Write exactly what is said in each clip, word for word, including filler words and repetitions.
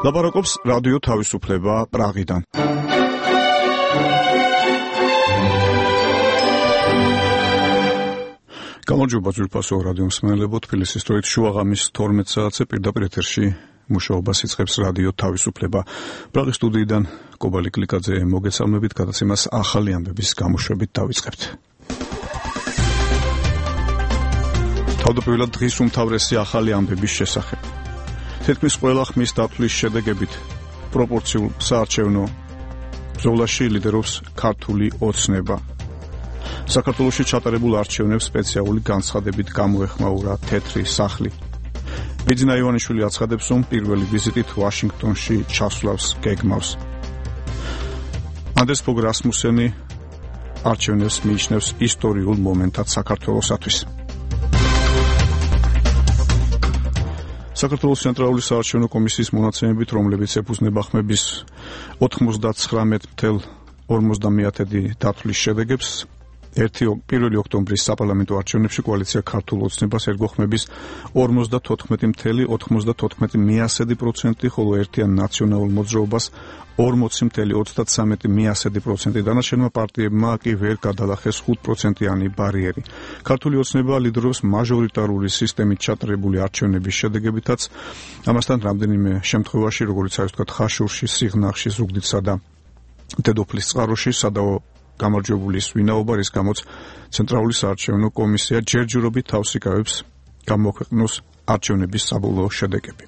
ლაპარაკობს რადიო თავისუფლება პრაღიდან. გამარჯობა ძვირფასო რადიო მსმენელებო, თბილისის დროით შუაღამის თორმეტ საათზე პირდაპირ ეთერში მუშაობას იწყებს რადიო თავისუფლება. პრაღის სტუდიიდან კობალი კლიკაძე მოგესალმებით, გადაცემას ახალი ამბების გამოშვებით დავიწყებთ. თავდაპირველად დღის უმთავრესი ახალი ამბების შესახებ. თითქმის ყველა ხმის დათვლის შედეგებით პროპორციულ საარჩევნო ბრძოლაში ლიდერობს ქართული ოცნება. საქართველოში ჩატარებულ არჩევნებს სპეციალური განცხადებით გამოეხმაურა თეთრი სახლი. ბიძინა ივანიშვილი აცხადებს, რომ პირველი ვიზიტით ვაშინგტონში ჩასვლას გეგმავს. ანდრეს ფოგ რასმუსენი არჩევნებს მიიჩნევს ისტორიულ მომენტად საქართველოსათვის. საქართველოს ცენტრალური საარჩევნო კომისიის მონაცემებით, რომლებიც ეფუძნება ხმების ოთხმოცდათხრამეტ ათას ორმოცდამეათედი დათვლის შედეგებს, პირველი ოქტომბრის საპარლამენტო არჩევნებში კოალიცია ქართულ ოცნებას ერგო ხმების ორმოცდათოთხმეტი ათას ოცდათოთხმეტი პროცენტი, ხოლო ერთიან ნაციონალურ მოძრაობას ორმოცი ათას ოცდათსამეტ პროცენტი, დანარჩენმა პარტიებმა კი ვერ გადალახეს ხუთ პროცენტიანი ბარიერი. ქართული ოცნება ლიდერობს მაჟორიტარული სისტემით ჩატარებული არჩევნების შედეგებითაც, ამასთან რამდენიმე შემთხვევაში, როგორც არის ვთქვათ, ხაშურში, სიღნაღში, ზუგდიდსა და დედოფლის წყაროში სადავო გამარჯვებულის ვინაობა, რის გამოც ცენტრალური საარჩევნო კომისია ჯერჯერობით თავს იკავებს გამოქვეყნოს არჩევნების საბოლოო შედეგები.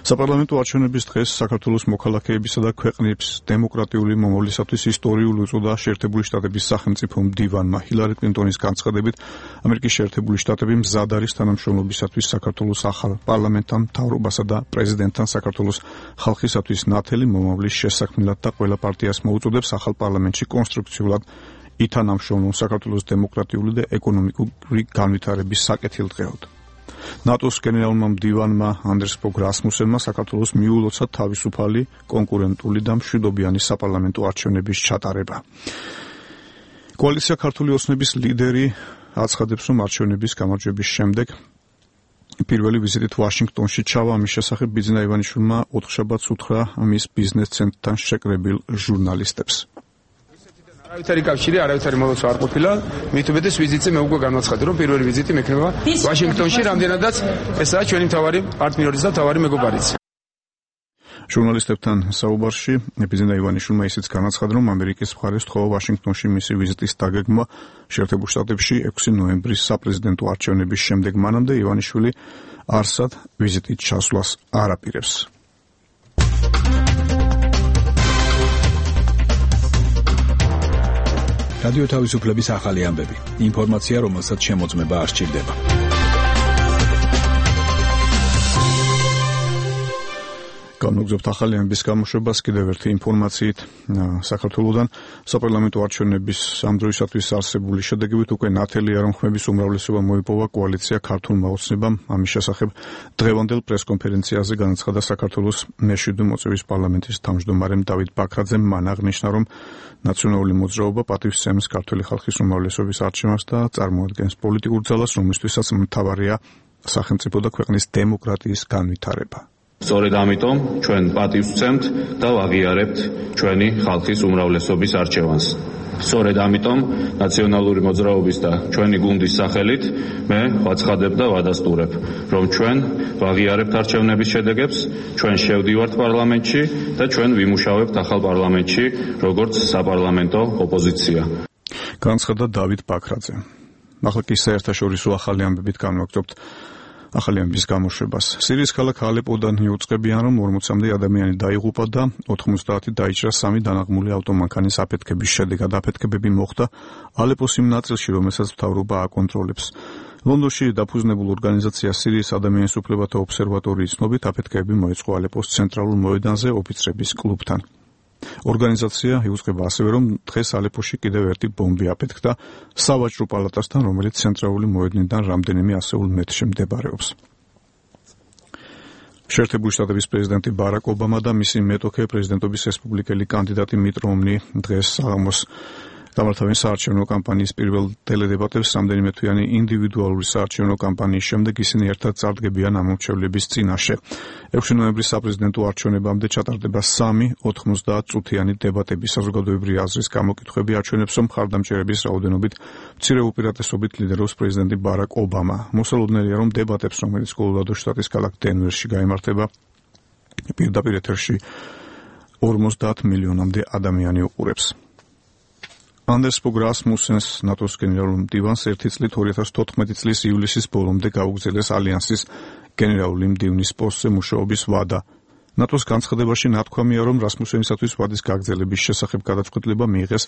საპარლამენტო არჩევნების დღეს საქართველოს მოქალაქეებისა და ქვეყნის დემოკრატიული მომავლისათვის ისტორიული უწოდა შეერთებული შტატების სახელმწიფო მდივანმა ჰილარი კლინტონის განცხადებით, ამერიკის შეერთებული შტატები მზად არის თანამშრომლობისათვის საქართველოს ახალ პარლამენტთან, მთავრობასა და პრეზიდენტთან საქართველოს ხალხისათვის ნათელი მომავლის შესაქმნელად და ყველა პარტიას მოუწოდებს ახალ პარლამენტში კონსტრუქციულად ითანამშრომლონ საქართველოს დემოკრატიული და ეკონომიკური განვითარების საკეთილდღეოდ. ნატოს გენერალურმა მდივანმა ანდრეს ფოგ რასმუსენმა საქართველოს მიულოცა თავისუფალი, კონკურენტული და მშვიდობიანი საპარლამენტო არჩევნების ჩატარება. კოალიცია ქართული ოცნების ლიდერი აცხადებს, რომ არჩევნების გამარჯვების შემდეგ პირველი ვიზიტით ვაშინგტონში ჩავა. ამის შესახებ ბიძინა ივანიშვილმა ოთხშაბათს უთხრა მის ბიზნეს ცენტრთან შეკრებილ ჟურნალისტებს. არავითარი კავშირი, არავითარი მოლოცვა არ ყოფილა. მით უმეტეს ვიზიტზე მე უკვე განვაცხადე, რომ პირველი ვიზიტი მექნება ვაშინგტონში, რამდენადაც ესაა ჩვენი თავარი პარტნიორიც და თავარი მეგობარიც. ჟურნალისტებთან საუბარში ბიძინა ივანიშვილმა ისიც განაცხადა, რომ ამერიკის მხარეს თხოვა ვაშინგტონში მისი ვიზიტის დაგეგმა შეერთებულ შტატებში ექვსი ნოემბრის საპრეზიდენტო არჩევნების შემდეგ. მანამდე ივანიშვილი არსად ვიზიტით ჩასვლას არ აპირებს. რადიო თავისუფლების ახალი ამბები. ინფორმაცია, რომელსაც შემოწმება არ სჭირდება. განვაგრძობთ ახალი ამბების გამოშვებას კიდევ ერთი ინფორმაციით საქართველოდან. საპარლამენტო არჩევნების ამ დროისათვის არსებული შედეგებით უკვე ნათელია, რომ ხმების უმრავლესობა მოიპოვა კოალიცია ქართულმა ოცნებამ. ამის შესახებ დღევანდელ პრესკონფერენციაზე განაცხადა საქართველოს მეშვიდე მოწვევის პარლამენტის თავმჯდომარემ დავით ბაქრაძემ. მან აღნიშნა, რომ ნაციონალური მოძრაობა პატივს სცემს ქართული ხალხის უმრავლესობის არჩევას და წარმოადგენს პოლიტიკურ ძალას, რომლისთვისაც მთავარია სახელმწიფო და ქვეყნის დემოკრატიის განვითარება. სწორედ ამიტომ ჩვენ პატივს ვცემთ და ვაღიარებთ ჩვენი ხალხის უმრავლესობის არჩევანს. სწორედ ამიტომ ნაციონალური მოძრაობის და ჩვენი გუნდის სახელით მე ვაცხადებ და ვადასტურებ, რომ ჩვენ ვაღიარებთ არჩევნების შედეგებს, ჩვენ შევდივართ პარლამენტში და ჩვენ ვიმუშავებთ ახალ პარლამენტში როგორც საპარლამენტო ოპოზიცია. განაცხადა დავით ბაქრაძე. ახლა კი საერთაშორისო ახალი ამბებით განვაგრძობთ ახალი ამბების გამოშვებას. სირიის ქალაქ ალეპოდან იუწყებიან, რომ ორმოცამდე ადამიანი დაიღუპა და ოთხმოცდაათი დაიჭრა სამი დანაღმული ავტომანქანის აფეთქების შედეგად. აფეთქებები მოხდა ალეპოს იმ ნაწილში, რომელსაც მთავრობა აკონტროლებს. ლონდონში დაფუძნებულ ორგანიზაცია სირიის ადამიანის უფლებათა ობსერვატორიის ცნობით, აფეთქებები მოეწყო ალეპოს ცენტრალურ მოედანზე ოფიცრების კლუბთან. ორგანიზაცია იუწყება ასევე, რომ დღეს ალეპოში კიდევ ერთი ბომბი აფეთქდა სავაჭრო პალატასთან, რომელიც ცენტრალური მოედნიდან რამდენიმე ასეულ მეტრში მდებარეობს. შეერთებული შტატების პრეზიდენტი ბარაკ ობამა და მისი მეტოქე პრეზიდენტობის რესპუბლიკელი კანდიდატი მიტ რომნი დღეს საღამოს დამართავენ საარჩევნო კამპანიის პირველ ტელედებატებს რამდენიმე თვიანი ინდივიდუალური საარჩევნო კამპანიის შემდეგ ისინი ერთად წარდგებიან ამომრჩევლების წინაშე. ექვსი ნოემბრის საპრეზიდენტო არჩევნებამდე ჩატარდება სამი ოთხმოცდაათ წუთიანი დებატები. საზოგადოებრივი აზრის გამოკითხვები აჩვენებს, რომ მხარდამჭერების რაოდენობით მცირე უპირატესობით ლიდერობს პრეზიდენტი ბარაკ ობამა. მოსალოდნელია, რომ დებატებს, რომელიც კოლორადოს შტატის ქალაქ დენვერში გაიმართება, პირდაპირ ეთერში ორმოცდაათ მილიონამდე ადამიანი უყურებს. ანდერს ფოგ რასმუსენს ნატოს გენერალურ მდივანს ერთი წლით ორი ათას თოთხმეტი წლის ივლისის ბოლომდე გაუგზელეს ალიანსის გენერალური მდივნის პოსტზე მუშაობის ვადა. ნატოს განცხადებაში ნათქვამია, რომ რასმუსენისათვის ვადის გაგრძელების შესახებ გადაწყვეტილება მიიღეს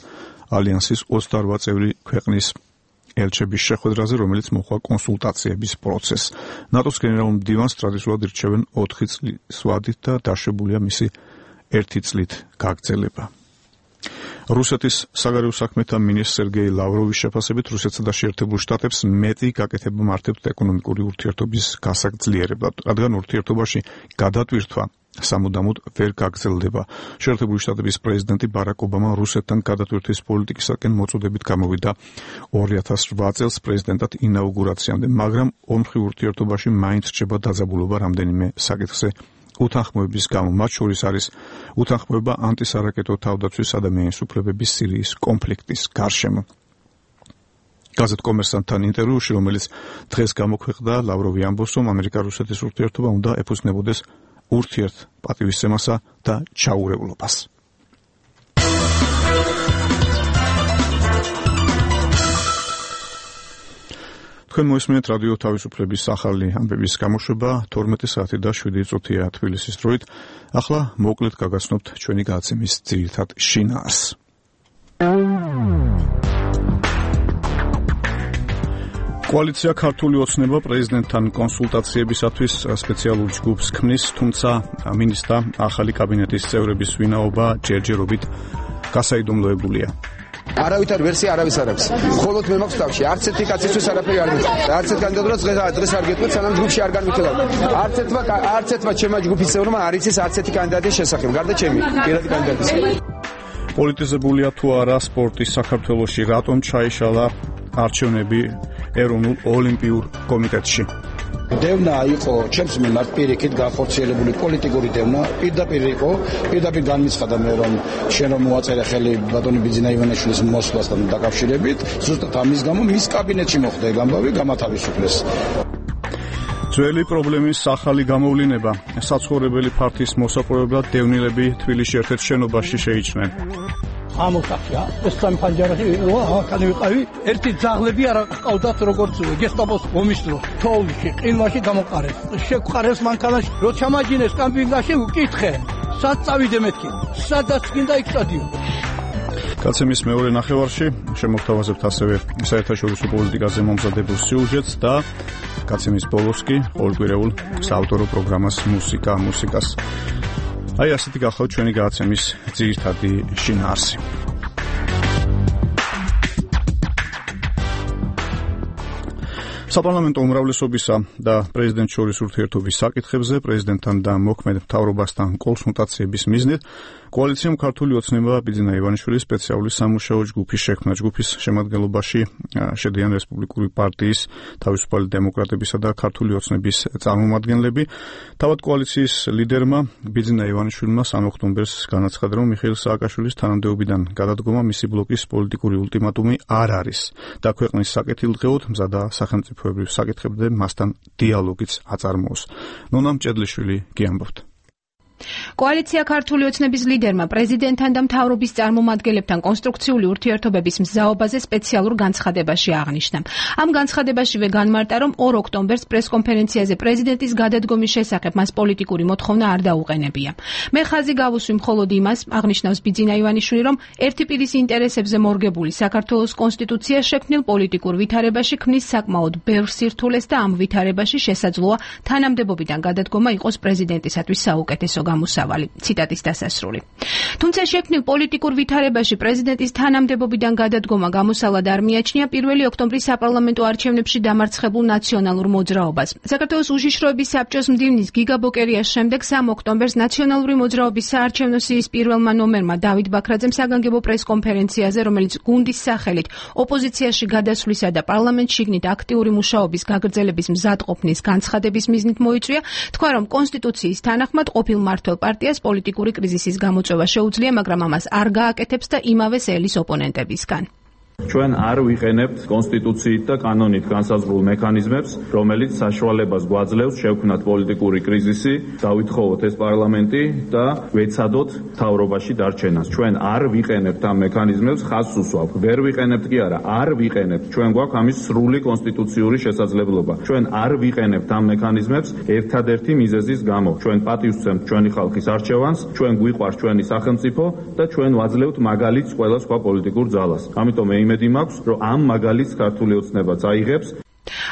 ალიანსის ოცდაორვა წევრი ქვეყნის ელჩების შეხვედრაზე, რომელიც მოჰყვა კონსულტაციების პროცესს. ნატოს გენერალურ მდივანს ტრადიციულად ირჩევენ ოთხი წლის ვადით და დაშვებულია მისი ერთი წლით გაგრძელება. რუსეთის საგარეო საქმეთა მინისტრ სერგეი ლავროვის შეფასებით რუსეთსა და შეერთებულ შტატებს მეტი გაკეთება მართებთ ეკონომიკური ურთიერთობის გასაგრძელებლად, რადგან ურთიერთობაში გადატვირთვა სამუდამოდ ვერ გაგრძელდება. შეერთებული შტატების პრეზიდენტი ბარაკ ობამა რუსეთთან გადატვირთვის პოლიტიკისაკენ მოწოდებით გამოვიდა ორი ათას რვა წელს პრეზიდენტად ინაუგურაციამდე, მაგრამ ორმხრივ ურთიერთობაში მაინც რჩება დაძაბულობა რამდენიმე საკითხზე უთანხმოების გამო. მათ შორის არის უთანხმოება ანტისარაკეტო თავდაცვის ადამიანის უფლებების სირიის კონფლიქტის გარშემო. გაზეთ კომერსანტთან ინტერვიუში, რომელიც დღეს გამოქვეყნდა, ლავროვი ამბობს, რომ ამერიკა-რუსეთის ურთიერთობა უნდა ეფუძნებოდეს ურთიერთ პატივისცემასა და ჩაურევლობას. თქვენ მოისმენთ რადიო თავისუფლების ახალი ამბების გამოშვება თორმეტი საათი და შვიდი წუთია თბილისის დროით. ახლა მოკლედ გაგაცნობთ ჩვენი გადაცემის ძირითად შინაარსს. კოალიცია ქართული ოცნება პრეზიდენტთან კონსულტაციებისათვის სპეციალურ ჯგუფს ქმნის, თუმცა მინისტრთა ახალი კაბინეტის წევრების ვინაობა ჯერჯერობით გასაიდუმლოებულია. არავით არ ვერსია არავის არ აქვს. მხოლოდ მე მაქვს თავში. არც ერთი კაცისთვის არაფერი არ მიწევს. არც ერთ კანდიდატურას დღეს დღეს არ გეტყვით, სანამ ჯგუფში არ განვითარდა. არც ერთმა არც ერთმა ჩემმა ჯგუფის წევრმა არ იცის არც ერთი კანდიდატის შესახებ, გარდა ჩემი პირადი კანდიდატის. პოლიტიზებულია თუ არა სპორტის საქართველოში, რატომ ჩაიშალა არჩევნები ეროვნულ ოლიმპიურ კომიტეტში? დევნა იყო ჩემს მიმართ პირიქით განხორციელებული პოლიტიკური დევნა, პირდაპირ იყო, პირდაპირ განმიცხადა მე რომ შენ რომ მოაწერე ხელი ბატონი ბიძინა ივანიშვილის მოსვლასთან დაკავშირებით, ზუსტად ამის გამო მის კაბინეტში მოხდა ეგ ამბავი, გამათავისუფლეს. ძველი პრობლემის ახალი გამოვლინება. საცხოვრებელი ფართის მოსაპოვებლად დევნილები თბილისში ერთ-ერთ შენობაში შეიჭრნენ. ამოხახია ეს სამი ხანჯარაში ახალი ვიყავი ერთი ძაღლები არ ყავდათ როგორც გესტაპოს ომის დროს თოვლში ყინვაში გამოყარეს შეგვყარეს მანქანაში რო ჩამაჯინეს კამპინგაში უკითხე სად წავიდე მეთქი სადაც გინდა იქ სტადიონი. კაცემის მეორე ნახევარში შემოგთავაზებთ ასევე საერთაშორისო პოლიტიკაზე მომზადებულ სიუჟეტს და კაცემის ბოლოს კი ყოველკვირეულ საავტორო პროგრამას მუსიკა მუსიკას. აი ასეთი გახლავთ ჩვენი გადაცემის ძირითადი შინაარსი. საპარლამენტო უმრავლესობისა და პრეზიდენტ შორის ურთიერთობის საკითხებზე პრეზიდენტთან და მოქმედ მთავრობასთან კონსულტაციების მიზნით კოალიციამ ქართული ოცნება ბიძინა ივანიშვილის სპეციალური სამუშაო ჯგუფის შექმნა. ჯგუფის შემადგენლობაში შედიან რესპუბლიკური პარტიის, თავისუფალი დემოკრატებისა და ქართული ოცნების წარმომადგენლები. თავად კოალიციის ლიდერმა ბიძინა ივანიშვილმა სამი ოქტომბერს განაცხადა, რომ მიხეილ სააკაშვილის თანამდებობიდან გადადგომა მისი ბლოკის პოლიტიკური ულტიმატუმი არ არის და ქვეყნის საკეთილდღეოდ მზადა სახელმწიფოებრივ საკითხებზე მასთან დიალოგიც აწარმოოს. ნონა მჭედლიშვილი გიამბობთ. კოალიცია ქართული ოცნების ლიდერმა პრეზიდენტთან და მთავრობის წარმომადგენლებთან კონსტრუქციული ურთიერთობების მზაობაზე სპეციალურ განცხადებაში აღნიშნა. ამ განცხადებაშივე განმარტა, რომ ორ ოქტომბერს პრესკონფერენციაზე პრეზიდენტის გადადგომის შესახებ მას პოლიტიკური მოთხოვნა არ დაუყენებია. მე ხაზი გავუსვი მხოლოდ იმას, აღნიშნავს ბიძინა ივანიშვილი, რომ ერთი პირის ინტერესებზე მორგებული საქართველოს კონსტიტუცია შექმნილ პოლიტიკურ ვითარებაში ქმნის საკმაოდ ბევრ სირთულეს და ამ ვითარებაში შესაძლოა თანამდებობიდან გადადგომა იყოს პრეზიდენტისათვის საუკეთესო გამოსავალი. მომსავალი. ციტატის დასასრული. თუმცა შექმნილ პოლიტიკურ ვითარებაში პრეზიდენტის თანამდებობიდან გადადგომა გამოსავლად არ მიაჩნია პირველი ოქტომბრის საპარლამენტო არჩევნებში დამარცხებულ ნაციონალურ მოძრაობას. საქართველოს უშიშროების საბჭოს მდივნის გიგა ბოკერიას შემდეგ სამ ოქტომბერს ნაციონალური მოძრაობის საარჩევნო სიის პირველმა ნომერმა დავით ბაქრაძემ საგანგებო პრესკონფერენციაზე, რომელიც გუნდის სახელით ოპოზიციაში გადასვლისა და პარლამენტში შიგნით აქტიური მუშაობის გაგრძელების მზადყოფნის განცხადების მიზნით მოიწვია, თქვა, რომ კონსტიტუციის თანახმად ყოფილ მმართველ პარტიას პოლიტიკური კრიზისის გამოწვევა შეუძლია, მაგრამ ამას არ გააკეთებს და იმავე სელის ოპონენტებისგან. ჩვენ არ ვიყენებთ კონსტიტუციით და კანონით განსაზღვრულ მექანიზმებს, რომელიც საშუალებას გვაძლევს შევქმნათ პოლიტიკური კრიზისი, დავითხოვოთ ეს პარლამენტი და ვეცადოთ მთავრობაში დარჩენას. ჩვენ არ ვიყენებთ ამ მექანიზმებს, ხაზს უსვამთ. ვერ ვიყენებთ კი არა, არ ვიყენებთ. ჩვენ გვაქვს ამის სრული კონსტიტუციური შესაძლებლობა. ჩვენ არ ვიყენებთ ამ მექანიზმებს ერთადერთი მიზეზის გამო. ჩვენ პატივს ვცემთ ჩვენი ხალხის არჩევანს, ჩვენ გვიყვარს ჩვენი სახელმწიფო და ჩვენ ვაძლევთ მაგალითს ყველა სხვა პოლიტიკურ ძალას. ამიტომ იმედი მაქვს, რომ ამ მაგალითს ქართული ოცნებაც აიღებს.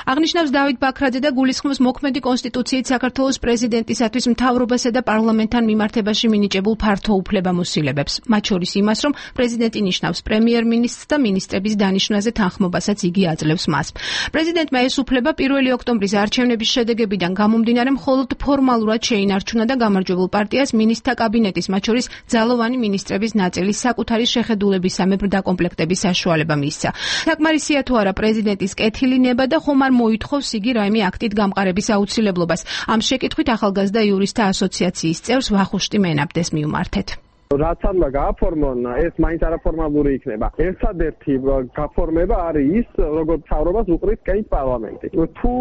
აღნიშნავს დავით ბაქრაძე და გულისხმობს მოქმედი კონსტიტუციით საქართველოს პრეზიდენტისათვის მთავრობასა და პარლამენტთან მიმართებაში მინიჭებულ ფართო უფლებამოსილებებს, მათ შორის იმას, რომ პრეზიდენტი ნიშნავს პრემიერ-მინისტრს და მინისტრების დანიშვნაზე თანხმობასაც იგი აძლევს მას. პრეზიდენტმა ეს უფლება პირველი ოქტომბრის არჩევნების შედეგებიდან გამომდინარე მხოლოდ ფორმალურად შეინარჩუნა და გამარჯვებულ პარტიას მინისტრთა კაბინეტის, მათ შორის ძალოვანი მინისტრების ნაწილის საკუთარი შეხედულებისამებრ დაკომპლექტების საშუალება მისცა. საკმარისია თუ არა პრეზიდენტის კეთილი ნება და ხომ არ მოითხოვს იგი რაიმე აქტით გამყარების აუცილებლობას. ამ შეკითხვით ახალგაზრდა იურისტთა ასოციაციის წევრს ვახუშტი მენაბდეს მივმართეთ. რაც ამლა გააფორმონა, ეს მაინც არაფორმალური იქნება. ერთადერთი გაფორმება არის ის, როგორც მთავრობას უყრით კეით პარლამენტი. თუ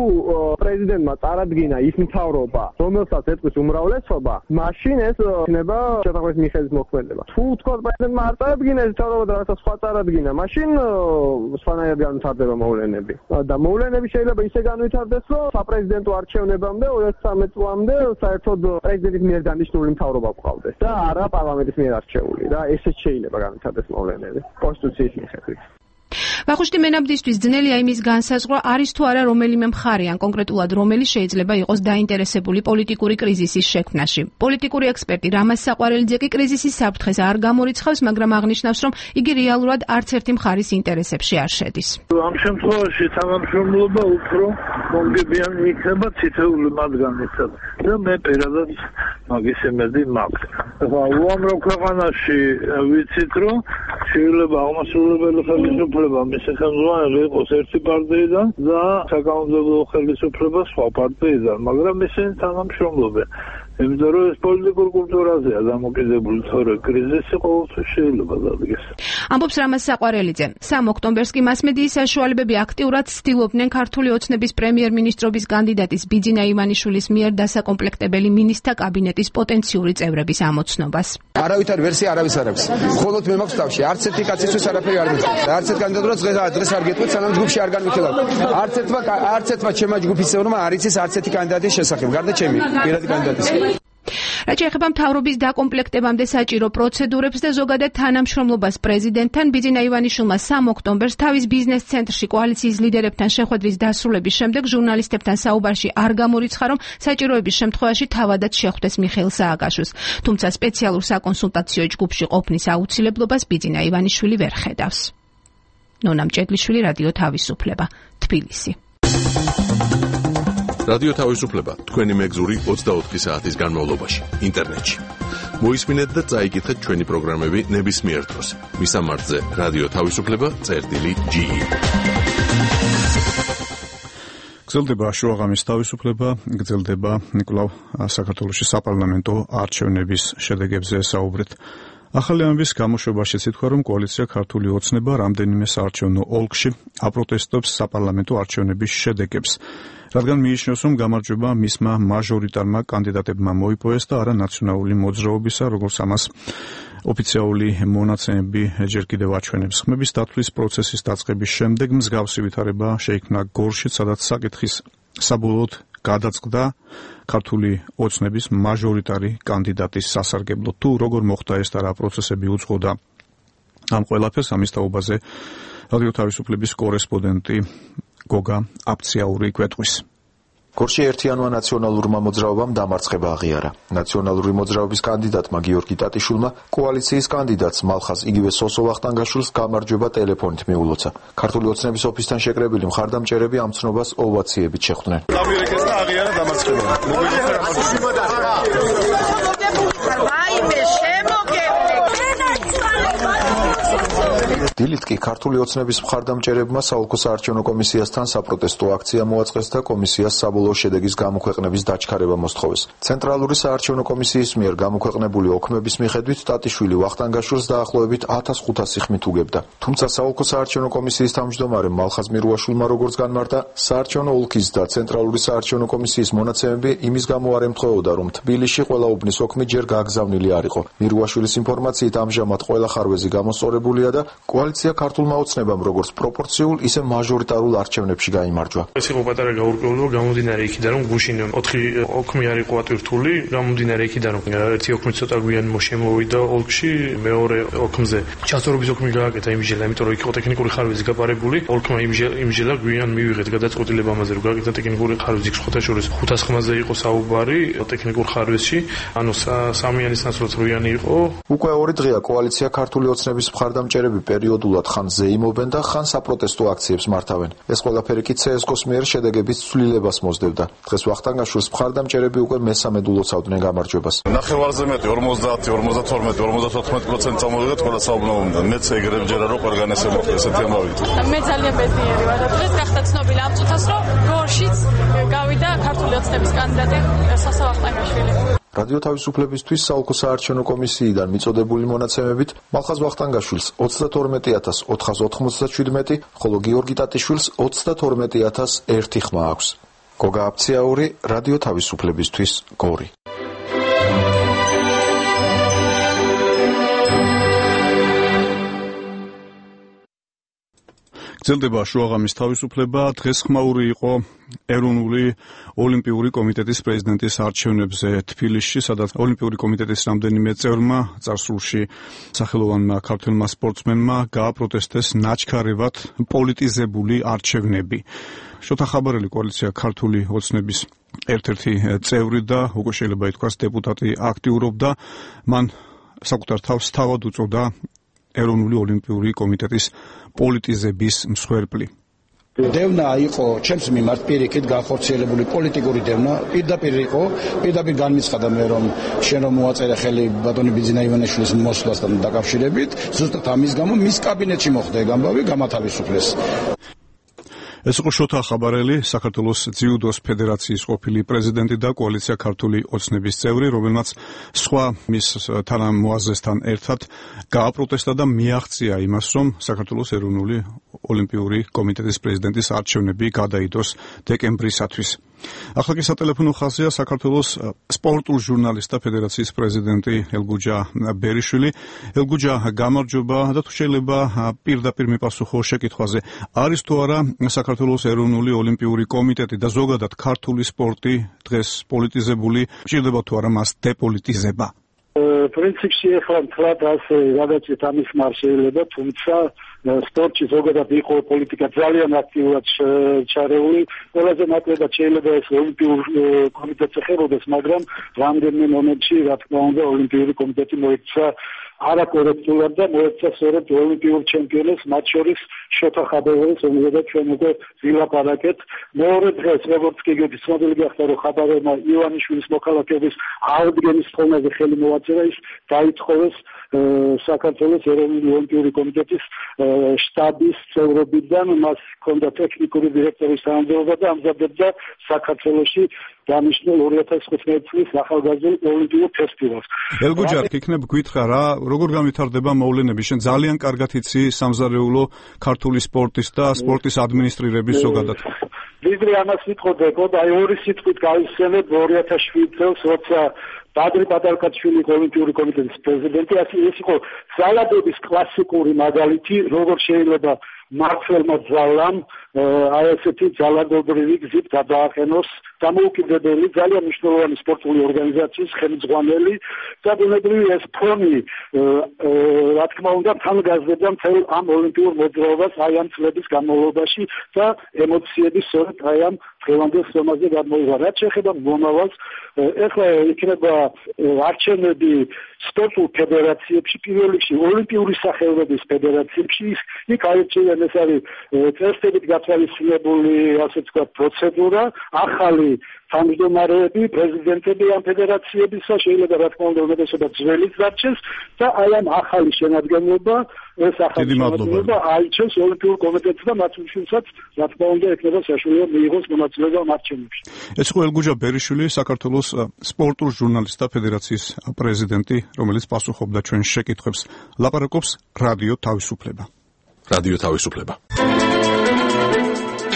პრეზიდენტმა წარადგინა ის მთავრობა, რომელსაც ეთყვის უმრავლესობა, მაშინ ეს იქნება შეთანხმების მიხედვით მოქმედება. თუ თქო პრეზიდენტმა არ წარადგინა ეს მთავრობა და რაღაცა სხვა წარადგინა, მაშინ სხვანაირად განვითარდება მოვლენები. და მოვლენები შეიძლება ისე განვითარდეს, რომ საპრეზიდენტო არჩევნებამდე ორი ათი ცხრამეტ წლამდე საერთოდ პრეზიდენტის მიერ დანიშნული მთავრობა გვყავდეს და არა პარლამენტის მიერ არჩეული და ესეც შეიძლება განვითარდეს მოვლენები კონსტიტუციის მიხედვით. ვახუშტი მენაბდისთვის ძნელია იმის განსაზღვრა, არის თუ არა რომელიმე მხარე ან კონკრეტულად რომელი შეიძლება იყოს დაინტერესებული პოლიტიკური კრიზისის შექმნაში. პოლიტიკური ექსპერტი რამაზ საყვარელიძე კი კრიზისის საფრთხეს არ გამორიცხავს, მაგრამ აღნიშნავს, რომ იგი რეალურად არც ერთი მხარის ინტერესებში არ შედის. ამ შემთხვევაში თანამშრომლობა უფრო მომგებიანი იქნება ცითეული მათგანისგან და მე პირადად მაგის იმედი მაქვს. ახლა უამრავ ქვეყანაში ვიცით, რომ შეიძლება აღმასრულებელი ხელისუფლება მისი ხელმძღვანელი იყოს ერთი პარტიიდან და საკანონმდებლო ხელისუფლება სხვა პარტიიდან, მაგრამ ისინი თანამშრომლობენ. იმიტომ რომ ეს პოლიტიკურ კულტურაზეა დამოკიდებული, თორე კრიზისი ყოველთვის შეიძლება დადგეს. ამბობს რამაზ საყვარელიძე. სამ ოქტომბერს კი მასმედიის საშუალებები აქტიურად ცდილობდნენ ქართული ოცნების პრემიერ-მინისტრობის კანდიდატის ბიძინა ივანიშვილის მიერ დასაკომპლექტებელი მინისტრთა კაბინეტის პოტენციური წევრების ამოცნობას. არავითარ ვერსია არავის არ აქვს. მხოლოდ მე მაქვს თავში. არც ერთი კაცისთვის არაფერი არ მითხრა. არც ერთ კანდიდატურას დღეს დღეს არ გეტყვით, სანამ ჯგუფში არ განვიხილავ. არც ერთმა არც ერთმა ჩემმა ჯგუფის წევრმა არ იცის არც ერთი კანდიდატის შესახებ, გარდა ჩემი პირადი კანდიდატის. რაც შეეხება მთავრობის დაკომპლექტებამდე საჭირო პროცედურებს და ზოგადად თანამშრომლობას პრეზიდენტთან, ბიძინა ივანიშვილმა სამ ოქტომბერს თავის ბიზნეს ცენტრში კოალიციის ლიდერებთან შეხვედრის დასრულების შემდეგ ჟურნალისტებთან საუბარში არ გამორიცხა, რომ საჭიროების შემთხვევაში თავადაც შეხვდეს მიხეილ სააკაშვილს. თუმცა სპეციალურ საკონსულტაციო ჯგუფში ყოფნის აუცილებლობას ბიძინა ივანიშვილი ვერ ხედავს. ნონა მჭედლიშვილი, რადიო თავისუფლება, თბილისი. რადიო თავისუფლება თქვენი მეგზური ოცდაოთხი საათის განმავლობაში ინტერნეტში. მოისმინეთ და წაიკითხეთ ჩვენი პროგრამები ნებისმიერ დროს. მისამართზე რადიო თავისუფლება წერტილი ჯი. გრძელდება შუაღამის თავისუფლება, გრძელდება ნიკოლავ საქართველოში საპარლამენტო არჩევნების შედეგებზე საუბრეთ. ახალი ამბის გამოშვებაშიც ითქვა, რომ კოალიცია ქართული ოცნება რამდენიმე საარჩევნო ოლქში აპროტესტებს საპარლამენტო არჩევნების შედეგებს. რადგან მიიჩნევს, რომ გამარჯვება მისმა მაჟორიტარმა კანდიდატებმა მოიპოვეს და არა ნაციონალური მოძრაობისა, როგორც ამას ოფიციალური მონაცემები ჯერ კიდევ აჩვენებს. ხმების დათვლის პროცესის დაწყების შემდეგ მსგავსი ვითარება შეიქმნა გორშიც, სადაც საკითხის საბოლოოდ გადაწყდა ქართული ოცნების მაჟორიტარი კანდიდატის სასარგებლო. თუ როგორ მოხდა ეს და რა პროცესები უძღოდა ამ ყველაფერს, ამის თაობაზე რადიო თავისუფლების კორესპონდენტი გოგა აფციაური გვეტყვის. გორში ერთიანმა ნაციონალურმა მოძრაობამ დამარცხება აღიარა. ნაციონალური მოძრაობის კანდიდატმა გიორგი ტატიშვილმა კოალიციის კანდიდატს მალხაზ იგივე სოსო ვახტანგაშვილს გამარჯვება ტელეფონით მიულოცა. ქართული ოცნების ოფისთან შეკრებილი მხარდამჭერები ამ ცნობას ოვაციებით შეხვდნენ. დამირეკეს და აღიარა დამარცხება. დილით კი ქართული ოცნების მხარდამჭერებმა საოლქო საარჩევნო კომისიასთან საპროტესტო აქცია მოაწყეს და კომისიას საბოლოო შედეგის გამოქვეყნების დაჩქარება მოსთხოვეს. ცენტრალური საარჩევნო კომისიის მიერ გამოქვეყნებული ოქმების მიხედვით ტატიშვილი ვახტანგაშვილს დაახლოებით ათას ხუთასი ხმით უგებდა. თუმცა საოლქო საარჩევნო კომისიის თავმჯდომარემ მალხაზ მირუაშვილმა როგორც განმარტა, საარჩევნო ოლქის და ცენტრალური საარჩევნო კომისიის მონაცემები იმის გამო არ ემთხვეოდა, რომ თბილისში ყველა უბნის ოქმი ჯერ გაგზავნილი არ იყო. მირუაშვილის ინფორმაციით ამჟამად ყველა ხარვეზი გამოსწორებულია და კოალიცია ქართულმა ოცნებამ როგორც პროპორციულ, ისე მაჟორიტარულ არჩევნებში გაიმარჯვა. ეს იყო პატარა გაურკვევლობა გამომდინარე იქიდან, რომ გუშინ ოთხი ოქმი არ იყო ატვირთული, გამომდინარე იქიდან, რომ ერთი ოქმი ცოტა გვიან შემოვიდა ოლქში, მეორე ოქმზე ჩასწორობის ოქმი გააკეთა იმჟელა, იმიტომ რომ იქ იყო ტექნიკური ხარვეზი გაპარებული, ოლქმა იმჟელა გვიან მივიღეთ გადაწყვეტილება ამაზე, რომ გააკეთა ტექნიკური ხარვეზი ხუთა შორის ხუთას ხმაზე იყო საუბარი ტექნიკურ ხარვეზში, ანუ სამიანის ნაცვლად როიანი იყო. უკვე ორი დღეა კოალიცია ქართული ოცნების მხარდამჭერები პერიოდულად ხან ზეიმობენ და ხან საპროტესტო აქციებს მართავენ. ეს ყველაფერი კი ცსკოს მიერ შედეგების ცვლილებას მოსდევდა. დღეს ვახტანგაშვილს მხარდამჭერები უკვე მესამედ ულოცავდნენ გამარჯვებას. ნახევარზე მეტი ორმოცდაათი, ორმოცდათორმეტი, ორმოცდათოთხმეტი პროცენტი წამოვიღეთ ყველა საუბნაობიდან. მეც ეგრე მჯერა რომ ყველგან ესე მოხდა ესეთი ამბავით. მე ძალიან ბედნიერი ვარ და დღეს გახდა ცნობილი ამ წუთას რომ გორშიც გავიდა ქართული ოცნების კანდიდატი სოსო ვახტანგაშვილი. რადიო თავისუფლებისთვის საოლქო საარჩევნო კომისიიდან მიწოდებული მონაცემებით მალხაზ ვახტანგაშვილს ოცდათორმეტი ათას ოთხას ოთხმოცდაშვიდმეტი, ხოლო გიორგი ტატიშვილს ოცდათორმეტი ათას ერთი ხმა აქვს. გოგა აფციაური, რადიო თავისუფლებისთვის, გორი. გრძელდება შუაღამის თავისუფლება. დღეს ხმაური იყო ეროვნული ოლიმპიური კომიტეტის პრეზიდენტის არჩევნებზე თბილისში, სადაც ოლიმპიური კომიტეტის რამდენიმე წევრმა წარსულში სახელოვანმა ქართველმა სპორტსმენმა გააპროტესტეს ნაჩქარევად პოლიტიზებული არჩევნები. შოთა ხაბარელი კოალიცია ქართული ოცნების ერთ-ერთი წევრი და უკვე შეიძლება ითქვას დეპუტატი აქტიურობდა. მან საკუთარ თავს თავად უწოდა ეროვნული ოლიმპიური კომიტეტის პოლიტიზების მსხვერპლი. დევნა იყო ჩემს მიმართ პირიქით განხორციელებული პოლიტიკური დევნა, პირდაპირ იყო, პირდაპირ განმიცხადა მე რომ შენ რომ მოაწერე ხელი ბატონი ბიძინა ივანიშვილის მოსვლასთან დაკავშირებით, ზუსტად ამის გამო მის კაბინეტში მოხდა ეგ ამბავი, გამათავისუფლეს. ეს იყო შოთა ხაბარელი, საქართველოს ძიუდოს ფედერაციის ყოფილი პრეზიდენტი და კოალიცია ქართული ოცნების წევრი, რომელმაც სხვა მის თანამოაზრესთან ერთად გააპროტესტა და მიაღწია იმას, რომ საქართველოს ეროვნული ოლიმპიური კომიტეტის პრეზიდენტის არჩევნები გადაიდოს დეკემბრისათვის. ახლა კი სატელეფონო ხაზია საქართველოს სპორტულ ჟურნალისტთა ფედერაციის პრეზიდენტი ელგუჯა ბერიშვილი. ელგუჯა, გამარჯობა და თუ შეიძლება პირდაპირ მიპასუხო შეკითხვაზე, არის თუ არა საქართველოს ეროვნული ოლიმპიური კომიტეტი და ზოგადად ქართული სპორტი დღეს პოლიტიზებული, ჭირდება თუ არა მას დეპოლიტიზება? პრინციპში ახლა მთლად ასე გადაწყვეტ ამის ხმარ შეიძლება, თუმცა სპორტში ზოგადად იყო პოლიტიკა ძალიან აქტიურად ჩარეული. ყველაზე ნაკლებად შეიძლება ეს ოლიმპიურ კომიტეტს ეხებოდეს, მაგრამ რამდენიმე მომენტში, რა თქმა უნდა, ოლიმპიური კომიტეტი მოექცა არაკორექტულად და მოექცა სწორედ ოლიმპიურ ჩემპიონებს, მათ შორის შოთა ხაბარელის, რომელზეც ჩვენ უკვე ვილაპარაკეთ. მეორე დღეს, როგორც კი ცნობილი გახდა, რომ ხაბარელმა ივანიშვილის მოქალაქეობის აღდგენის ხომაზე ხელი მოაწერა, ის დაითხოვეს საქართველოს ეროვნული ოლიმპიური კომიტეტის შტაბის წევრობიდან, მას ჰქონდა ტექნიკური დირექტორის თანამდებობა და ამზადებდა საქართველოში დანიშნულ ორი ათას თხუთმეტი წლის ახალგაზრდულ ოლიმპიურ ფესტივალს. ელგუჯა, იქნებ გითხრა რა, როგორ გამვითარდება მოვლენები? შენ ძალიან კარგად იცი სამზარეულო ქართული სპორტის და სპორტის ადმინისტრირების ზოგადად. ვიდრე ამას ვიტყოდებო და აი ორი სიტყვით გავიხსენებ ორი ათას შვიდ წელს, როცა ბადრი პატარკაშვილი ოლიმპიური კომიტეტის პრეზიდენტი, ასე ეს იყო ძალადობის კლასიკური მაგალითი, როგორ შეიძლება მართლმა ძალამ აი ესეთი ძალადობრივი გზით გადააყენოს დამოუკიდებელი ძალიან მნიშვნელოვანი სპორტული ორგანიზაციის ხელმძღვანელი და ბუნებრივი ეს ფონი რა თქმა უნდა თან გაზრდა მთელ ამ ოლიმპიურ მოძრაობას აი ამ წლების განმავლობაში და ემოციები სწორედ აი ამ დღევანდელ ხომაზე გამოიღო. რაც შეეხება მომავალს, ეხლა იქნება არჩევნები სპორტულ ფედერაციებში, პირველ რიგში ოლიმპიური სახეობების ფედერაციებში. იქ არჩევენ ეს არის წესდებით გათვალისწინებული, ასე ვთქვათ, პროცედურა, ახალი თავმჯდომარეები, პრეზიდენტები ამ ფედერაციებისა, შეიძლება რა თქმა უნდა უმეტესობა ძველიც დარჩეს და აი ამ ახალი შემადგენლობა, ეს ახალი შემადგენლობა აირჩევს ოლიმპიურ კომიტეტს და მათ შვილსაც რა თქმა უნდა ექნება საშუალება მიიღოს მონაწილეობა ამ არჩევნებში. ეს იყო ელგუჯა ბერიშვილი, საქართველოს სპორტულ ჟურნალისტთა ფედერაციის პრეზიდენტი, რომელიც პასუხობდა ჩვენ შეკითხვებს. ლაპარაკობს რადიო თავისუფლება. რადიო თავისუფლება.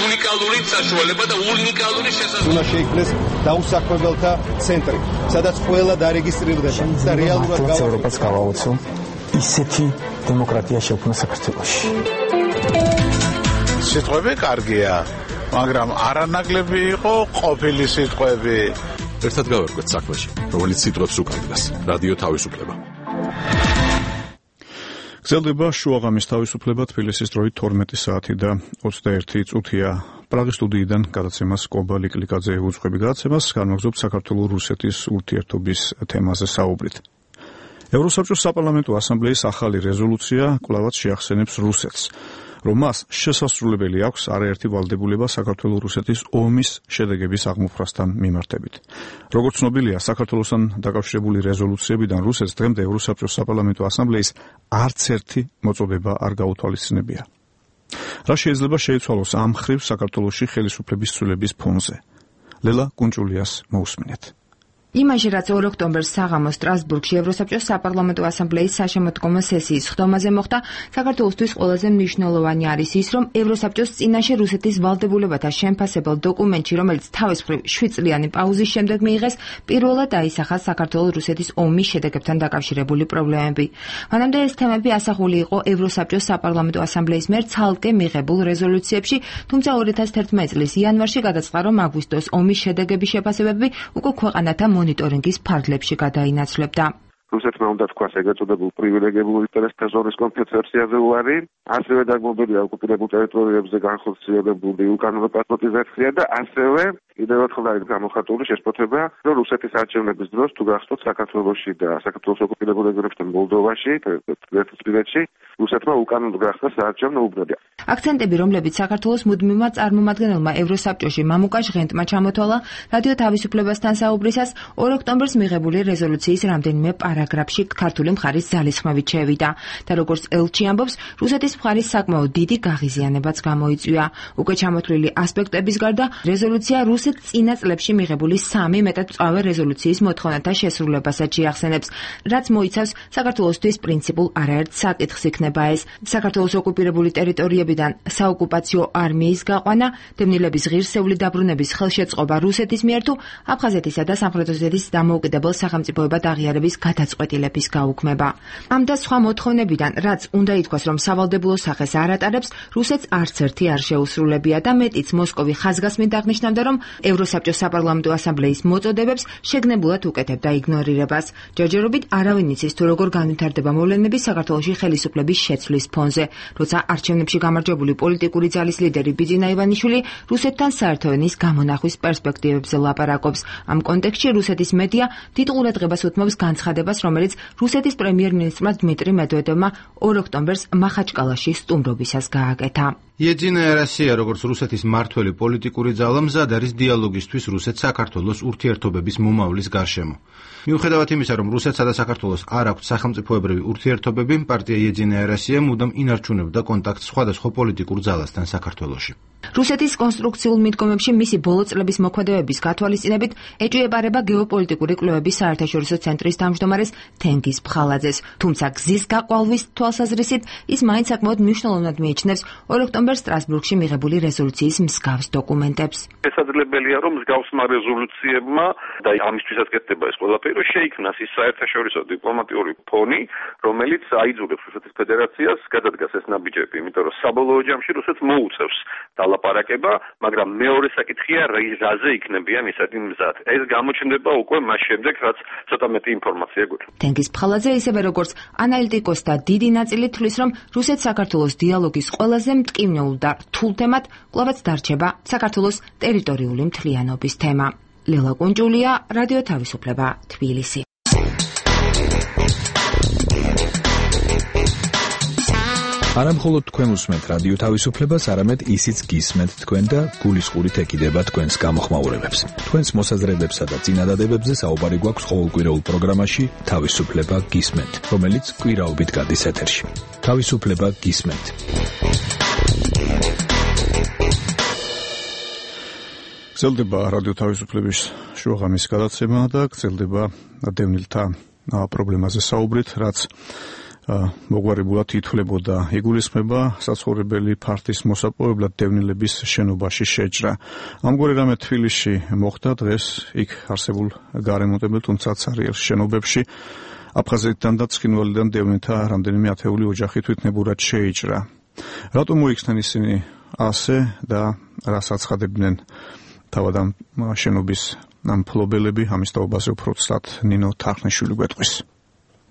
უნიკალური საშუალება და უნიკალური შესაძლებლობა. უნდა შეიქმნეს დაუსაქმებელთა ცენტრი, სადაც ყველა დარეგისტრირდება და რეალურად გავაუწყოთ გავაუწყო ისეთი დემოკრატია შექმნა საქართველოში. სიტყვები კარგია, მაგრამ არანაკლები იყო ყოფილი სიტყვები. ერთად გავერკვეთ საქმეში, რომელიც სიტყვებს უკავშირდება. რადიო თავისუფლება. გრძელდება შუაღამის თავისუფლება, თბილისის დროით თორმეტი საათი და ოცდაერთი წუთია. პრაღის სტუდიიდან გადაცემას კობა ლიკლიკაძე უძღვები გადაცემას, განმაგზობთ საქართველო-რუსეთის ურთიერთობის თემაზე საუბრით. ევროსაბჭოს საპარლამენტო ასამბლეის ახალი რეზოლუცია კვლავაც შეახსენებს რუსეთს, რომ მას შესასრულებელი აქვს არაერთი ვალდებულება საქართველო-რუსეთის ომის შედეგების აღმოფხვრასთან მიმართებით. როგორც ცნობილია, საქართველოსთან დაკავშირებული რეზოლუციებიდან რუსეთს დღემდე ევროსაბჭოს საპარლამენტო ასამბლეის არც ერთი მოწოდება არ გაუთვალისწინებია. რა შეიძლება შეიცვალოს ამ მხრივ საქართველოში ხელისუფლების ცვლილების ფონზე? ლელა კუნჭულიას მოусმინეთ. იმაში, რაც ორ ოქტომბერს საღამოს სტრასბურგში ევროსაბჭოს საპარლამენტო ასამბლეის საშემოდგომო სესიის ხდომაზე მოხდა, საქართველოსთვის ყველაზე მნიშვნელოვანი არის ის, რომ ევროსაბჭოს წინაშე რუსეთის ვალდებულებათა შემფასებელ დოკუმენტში, რომელიც თავის მხრივ შვიდ წლიანი პაუზის შემდეგ მიიღეს, პირველად აისახა საქართველო-რუსეთის ომის შედეგებთან დაკავშირებული პრობლემები. მანამდე ეს თემები ასახული იყო ევროსაბჭოს საპარლამენტო ასამბლეის მიერ ცალკე მიღებულ რეზოლუციებში, თუმცა ორი ათას თერთმეტი წლის იანვარში გადაწყდა, რომ აგვისტოს ომის შედეგების შეფასებები უკვე ქვეყანათა მონიტორინგის ფარგლებში გადაინაცვლებდა. რუსეთმა უნდა თქვას ეგრეთ წოდებულ პრივილეგირებული ინტერესთა ზონის კონცეფციაზე უარი, ასევე დაგმობილია ოკუპირებულ ტერიტორიებზე განხორციელებული უკანონო პატრიოტიზაცია და ასევე კიდევ ერთხელ არის გამოხატული შესაძლებლობა, რომ რუსეთის არჩევნების დროს თუ გახსოვთ საქართველოში და საქართველოს ოკუპირებულ რეგიონებში და მოლდოვაში, თბილისში, რუსეთმა უკანონო გახდა საარჩევნო უბნები. აქცენტები, რომლებიც საქართველოს მუდმივმა წარმომადგენელმა ევროსაბჭოში მამუკა ჟღენტმა ჩამოთვალა რადიო თავისუფლებასთან საუბრისას, ორ ოქტომბერს მიღებული რეზოლუციის რამდენიმე პარაგრაფში ქართული მხარის ძალისხმევით შევიდა და როგორც ელჩი ამბობს, რუსეთის მხარის საკმაოდ დიდი გაღიზიანებაც გამოიწვია. უკვე ჩამოთვლილი ასპექტების გარდა, რეზოლუცია რუსეთს წინა წლებში მიღებული სამი მეტად მწვავე რეზოლუციის მოთხოვნათა შესრულებასაც შეახსენებს, რაც მოიცავს საქართველოსთვის პრინციპულ არაერთ საკითხს იქნება ეს. საქართველოს ოკუპირებული ტერიტორიებიდან საოკუპაციო არმიის გაყვანა, დევნილების ღირსეული დაბრუნების ხელშეწყობა რუსეთის მიერ თუ აფხაზეთისა და სამხრეთ ოსეთის დამოუკიდებელ სახელმწიფოებად აღიარების გადაწყვეტილების გაუქმება. ამ და სხვა მოთხოვნებიდან, რაც უნდა ითქვას, რომ სავალდებულო სახეს არ ატარებს, რუსეთს არც ერთი არ შეუსრულებია და მეტიც მოსკოვი ხაზგასმით აღნიშნავდა, რომ ევროსაბჭოს საპარლამენტო ასამბლეის მოწოდებებს შეგნებულად უკეთებდა იგნორირებას. ჯერჯერობით არავინ იცის თუ როგორ განვითარდება მოვლენები საქართველოში ხელისუფლების შეცვლის ფონზე, როცა არჩევნებში გამარჯვებული პოლიტიკური ძალის ლიდერი ბიძინა ივანიშვილი რუსეთთან საერთო ენის გამონახვის პერსპექტივებზე ლაპარაკობს. ამ კონტექსტში რუსეთის მედია დიდ ყურადღებას უთმობს განცხადებას, რომელიც რუსეთის პრემიერ-მინისტრმა დმიტრი მედვედევმა ორ ოქტომბერს მახაჩკალაში სტუმრობისას გააკეთა. Единая Россия, როგორც რუსეთის მართველი პოლიტიკური ძალა, მზად არის დიალოგისთვის რუსეთ-საქართველოს ურთიერთობების მომავლის გარშემო. მიუხედავად იმისა, რომ რუსეთსა და საქართველოს არ აქვს სახელმწიფოებრივი ურთიერთობები, პარტია Единая Россия მუდამ ინარჩუნებდა კონტაქტს სხვადასხვა პოლიტიკურ ძალასთან საქართველოში. რუსეთის კონსტრუქციულ მიდგომებში მისი ბოლო წლების მოქმედებების გათვალისწინებით ეჭვიებარება გეოპოლიტიკური კვლევების საერთაშორისო ცენტრის თავმჯდომარეს თენგიზ ფხალაძეს, თუმცა გზის გაყვალვის თვალსაზრისით ის მაინც საკმაოდ მნიშვნელოვნად მიიჩნევს ორ ოქტომბერს სტრასბურგში მიღებული რეზოლუციის მსგავს დოკუმენტებს. შესაძლებელია, რომ მსგავსმა რეზოლუციებმა და ამისთვისაც კეთდება ეს ყველაფერი, შეიქმნას ის საერთაშორისო დიპლომატიური ფონი, რომელიც აიძულებს რუსეთის ფედერაციას გადადგას ეს ნაბიჯები, იმიტომ რომ საბოლოო ჯამში რუსეთს მოუწევს ლაპარაკება, მაგრამ მეორე საკითხია, რაზე იქნებიან ისეთი მზად. ეს გამოჩნდება უკვე მას შემდეგ, რაც ცოტა მეტი ინფორმაცია გვექნება. თენგიზ ფხალაძე ისევე როგორც ანალიტიკოსთა დიდი ნაწილი თვლის, რომ რუსეთ-საქართველოს დიალოგის ყველაზე მტკივნე გარკვეულ და რთულ თემად კვლავაც დარჩება საქართველოს ტერიტორიული მთლიანობის თემა. ლელა კუნჭულია, რადიო თავისუფლება, თბილისი. არა მხოლოდ თქვენ უსმენთ რადიო თავისუფლებას, არამედ ისიც გისმენთ თქვენ და გულისხმობით ეკიდება თქვენს გამოხმაურებებს. თქვენს მოსაზრებებსა და წინადადებებზე საუბარი გვაქვს ყოველკვირეულ პროგრამაში თავისუფლება გისმენთ, რომელიც კვირაობით გადის ეთერში. თავისუფლება გისმენთ. გრძელდება რადიო თავისუფლების შუაღამის გადაცემა და გრძელდება დევნილთა პრობლემაზე საუბრით, რაც მოგვარებულად ითვლებოდა. იგულისხმება საცხოვრებელი ფართის მოსაპოვებლად დევნილების შენობაში შეჭრა. ამგვარი რამე თბილისში მოხდა დღეს იქ არსებულ გარემონტებელ, თუმცა ცარიელ შენობებში. აფხაზეთიდან და ცხინვალიდან დევნილთა რამდენიმე ათეული ოჯახი თვითნებურად შეიჭრა. რატომ მოიქცნენ ისინი ასე და რას აცხადებდნენ თავად ამ შენობის მფლობელები? ამის თაობაზე უფრო ცუდად ნინო თარხნიშვილი გვეტყვის.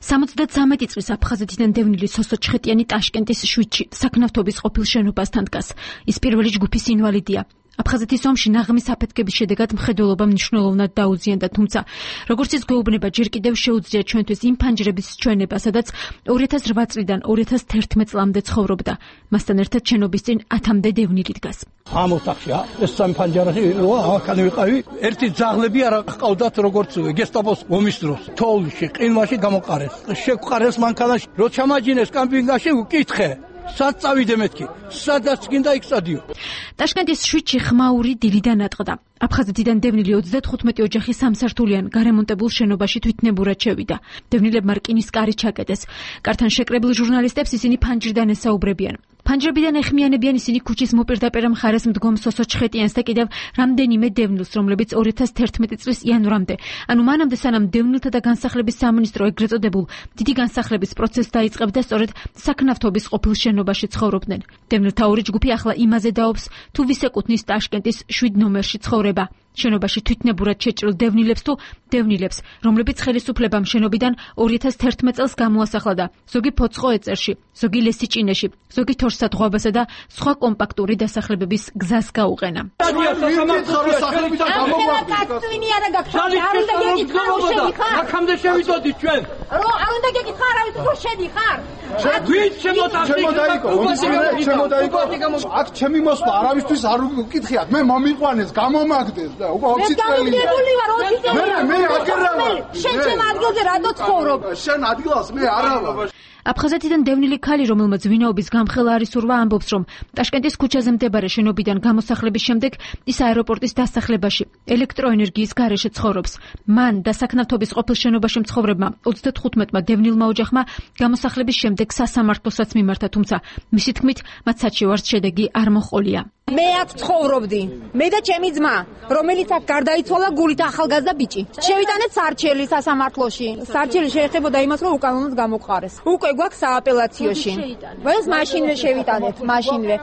სამოცდათვრამეტი წლის აფხაზეთიდან დევნილი სოსო ჩხეტიანი ტაშკენტის შვიდში საქნავთობის ყოფილ შენობასთან დგას. ის პირველი ჯგუფის ინვალიდია. აფხაზეთის ომში ნაღმის აფეთქების შედეგად მხედველობა მნიშვნელოვნად დაუზიანდა, თუმცა როგორც ის გვეუბნება, ჯერ კიდევ შეუძლია ჩვენთვის იმ ფანჯრების ჩვენება, სადაც ორი ათას რვა წლიდან ორი ათას თერთმეტ წლამდე ცხოვრობდა. მასთან ერთად შენობის წინ ათამდე დევნილი დგას. ამ ოთახშია ეს სამი ფანჯარაში აქან ვიყავი, ერთი ძაღლები არ ყავდათ როგორც გესტაპოს ომის დროს. თოვლში, ყინვაში გამოყარეს. შეგვყარეს მანქანაში, რო ჩამაჯინეს კამპინგაში უკითხე. სად წავიდე მეთქი? სადაც გინდა იქ წადიო. ტაშკენტის შვიდში ხმაური დილიდან ატყდა. აფხაზეთიდან დევნილი ოცდათოთხმეტი ოჯახი სამსართულიან გარემონტებულ შენობაში თვითნებურად შევიდა. დევნილებმა რკინის კარი ჩაკეტეს. კართან შეკრებილ ჟურნალისტებს ისინი ფანჯრიდან ესაუბრებიან. ფანჯრებიდან ეხმიანებიან ისინი ქუჩის მოპირდაპირ მხარეს მდგომ სოსო ჩხეტიანს და კიდევ რამდენიმე დევნილს, რომლებიც ორი ათას თერთმეტი წლის იანვრამდე, ანუ მანამდე სანამ დევნილთა და განსახლების სამინისტრო ეგრეთ წოდებულ დიდი განსახლების პროცესს დაიწყებდა, სწორედ საქნავთობის ყოფილ შენობაში ცხოვრობდნენ. დევნილთა ორი ჯგუფი ახლა იმაზე დაობს, თუ ვის ეკუთვნის ტაშკენტის შვიდ ნომერში ცხოვრება. შენობაში თვითნებურად შეჭრილ დევნილებს თუ დევნილებს, რომლებიც ხელისუფლებამ შენობიდან ორი ათას თერთმეტ წელს გამოასახლა და ზოგი ფოცხო ეწერში, ზოგი ლესიჭინეში, ზოგი თორსათღვაბასა და სხვა კომპაქტური დასახლებების გზას გაუყენა. აქამდე შევიდოდი ჩვენ. რო არ უნდა გეკითხა, არავის უფრო შედიხარ. ვით შემოთავაზე? აქ ჩემი მოსვლა არავისთვის არ უკითხიათ, მე მომიყვანეს, გამომაგდეს და უკვე ოცი წელი. მე მე აგერავა. შენ ჩემ ადგილზე რატო ცხოვრობ? შენ ადგილას მე არა ვარ. აფხაზეთიდან დევნილი ქალი, რომელმაც ვინაობის გამხელა არის სურვა, ამბობს, რომ ტაშკენტის ქუჩაზე მდებარე შენობიდან გამოსახლების შემდეგ ის აეროპორტის დასახლებაში ელექტროენერგიის გარეშე ცხოვრობს. მან და საქნავთობის ყოფილ შენობაში მცხოვრებმა ოცდათხუთმეტმა დევნილმა ოჯახმა გამოსახლების შემდეგ სასამართლოსაც მიმართა, თუმცა მისი თქმით, მათ საჩივარს შედეგი არ მოჰყოლია. მე აქ ცხოვრობდი. მე და ჩემი ძმა, რომელიც აქ გარდაიცვალა გულით ახალგაზრდა ბიჭი. შევიტანეთ სარჩელი სასამართლოში. სარჩელი შეეხებოდა იმას, რომ უკანონოდ გამოყარეს. უკვე გვაქვს სააპელაციოში. ეს მაშინვე შევიტანეთ, მაშინვე.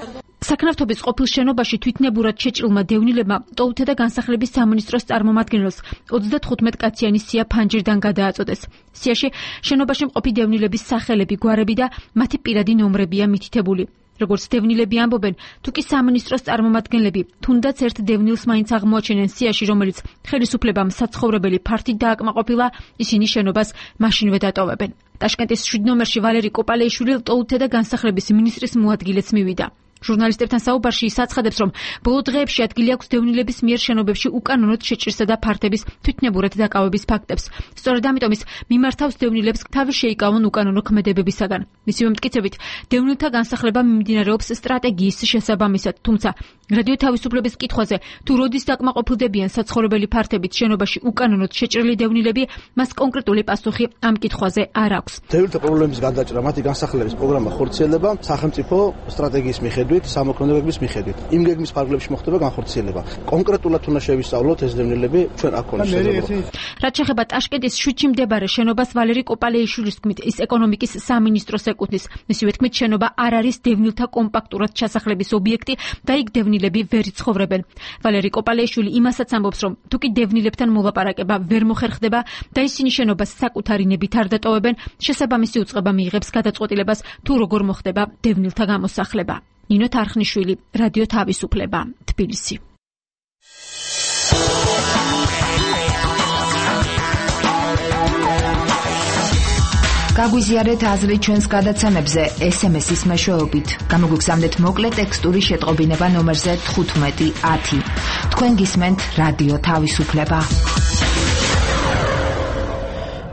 საქნავთობის ყოფილ შენობაში თვითნებურად შეჭრილმა დევნილებმა ტოუთა და განსახლების სამინისტროს წარმომადგენელს ოცდათხუთმეტ კაციანი სია ფანჯრიდან გადააწოდეს. სიაში შენობაში მყოფი დევნილების სახელები, გვარები და მათი პირადი ნომრებია მითითებული. როგორც დევნილები ამბობენ, თუ კი სამინისტროს წარმომადგენლები თუნდაც ერთ დევნილს მაინც აღმოაჩენენ სიაში, რომელიც ხელისუფლებამ საცხოვრებელი ფართით დააკმაყოფილა, ისინი შენობას მაშინვე დატოვებენ. ტაშკენტის შვიდ ნომერში ვალერი კოპალეიშვილი ტოუთა და განსახლების მინისტრის მოადგილეც მივიდა. ჟურნალისტებთან საუბარში ის აცხადებს, რომ ბოლო დღეებში ადგილი აქვს დევნილების მიერ შენობებში უკანონოდ შეჭრისა და ფართების თვითნებურად დაკავების ფაქტებს. სწორედ ამიტომ ის მიმართავს დევნილებს თავი შეიკავონ უკანონო ქმედებებისაგან. მისივე მტკიცებით, დევნილთა განსახლება მიმდინარეობს სტრატეგიის შესაბამისად, თუმცა რადიო თავისუფლების კითხვაზე, თუ როდის დაკმაყოფილდებიან საცხოვრებელი ფართებით შენობაში უკანონოდ შეჭრილი დევნილები, მას კონკრეტული პასუხი ამ კითხვაზე არ აქვს. დევნილთა პრობლემის გადაჭრა, მათი განსახლების პროგრამა ხორციელდება სახელმწიფო სტრატეგიის მიხედვით. სამოქმედებების მიხედვით. იმ გეგმის ფარგლებში მოხდება განხორციელება. კონკრეტულად უნდა შევისწავლოთ ეს დევნილები ჩვენ აქ ქონის შესაძლებლობა. რაც შეეხება ტაშკენტის შვიდში მდებარე შენობას, ვალერი კოპალეიშვილის თქმით, ის ეკონომიკის სამინისტროს ეკუთვნის. მისივე თქმით, შენობა არ არის დევნილთა კომპაქტურად ჩასახლების ობიექტი და იქ დევნილები ვერ იცხოვრებენ. ვალერი კოპალეიშვილი იმასაც ამბობს, რომ თუ კი დევნილებთან მოლაპარაკება ვერ მოხერხდება და ისინი შენობას საკუთარი ნებით არ დატოვებენ, შესაბამისი უწყება მიიღებს გადაწყვეტილებას, თუ როგორ მოხდება დევნილთა გამოსახლება. ნინო თარხნიშვილი, რადიო თავისუფლება, თბილისი. გაგვიზიარეთ აზრი ჩვენს გადაცემებზე ეს ემ ეს-ის მეშვეობით. გამოგვიგზავნეთ მოკლე ტექსტური შეტყობინება ნომერზე თხუთმეტი ათი. თქვენ გისმენთ რადიო თავისუფლება.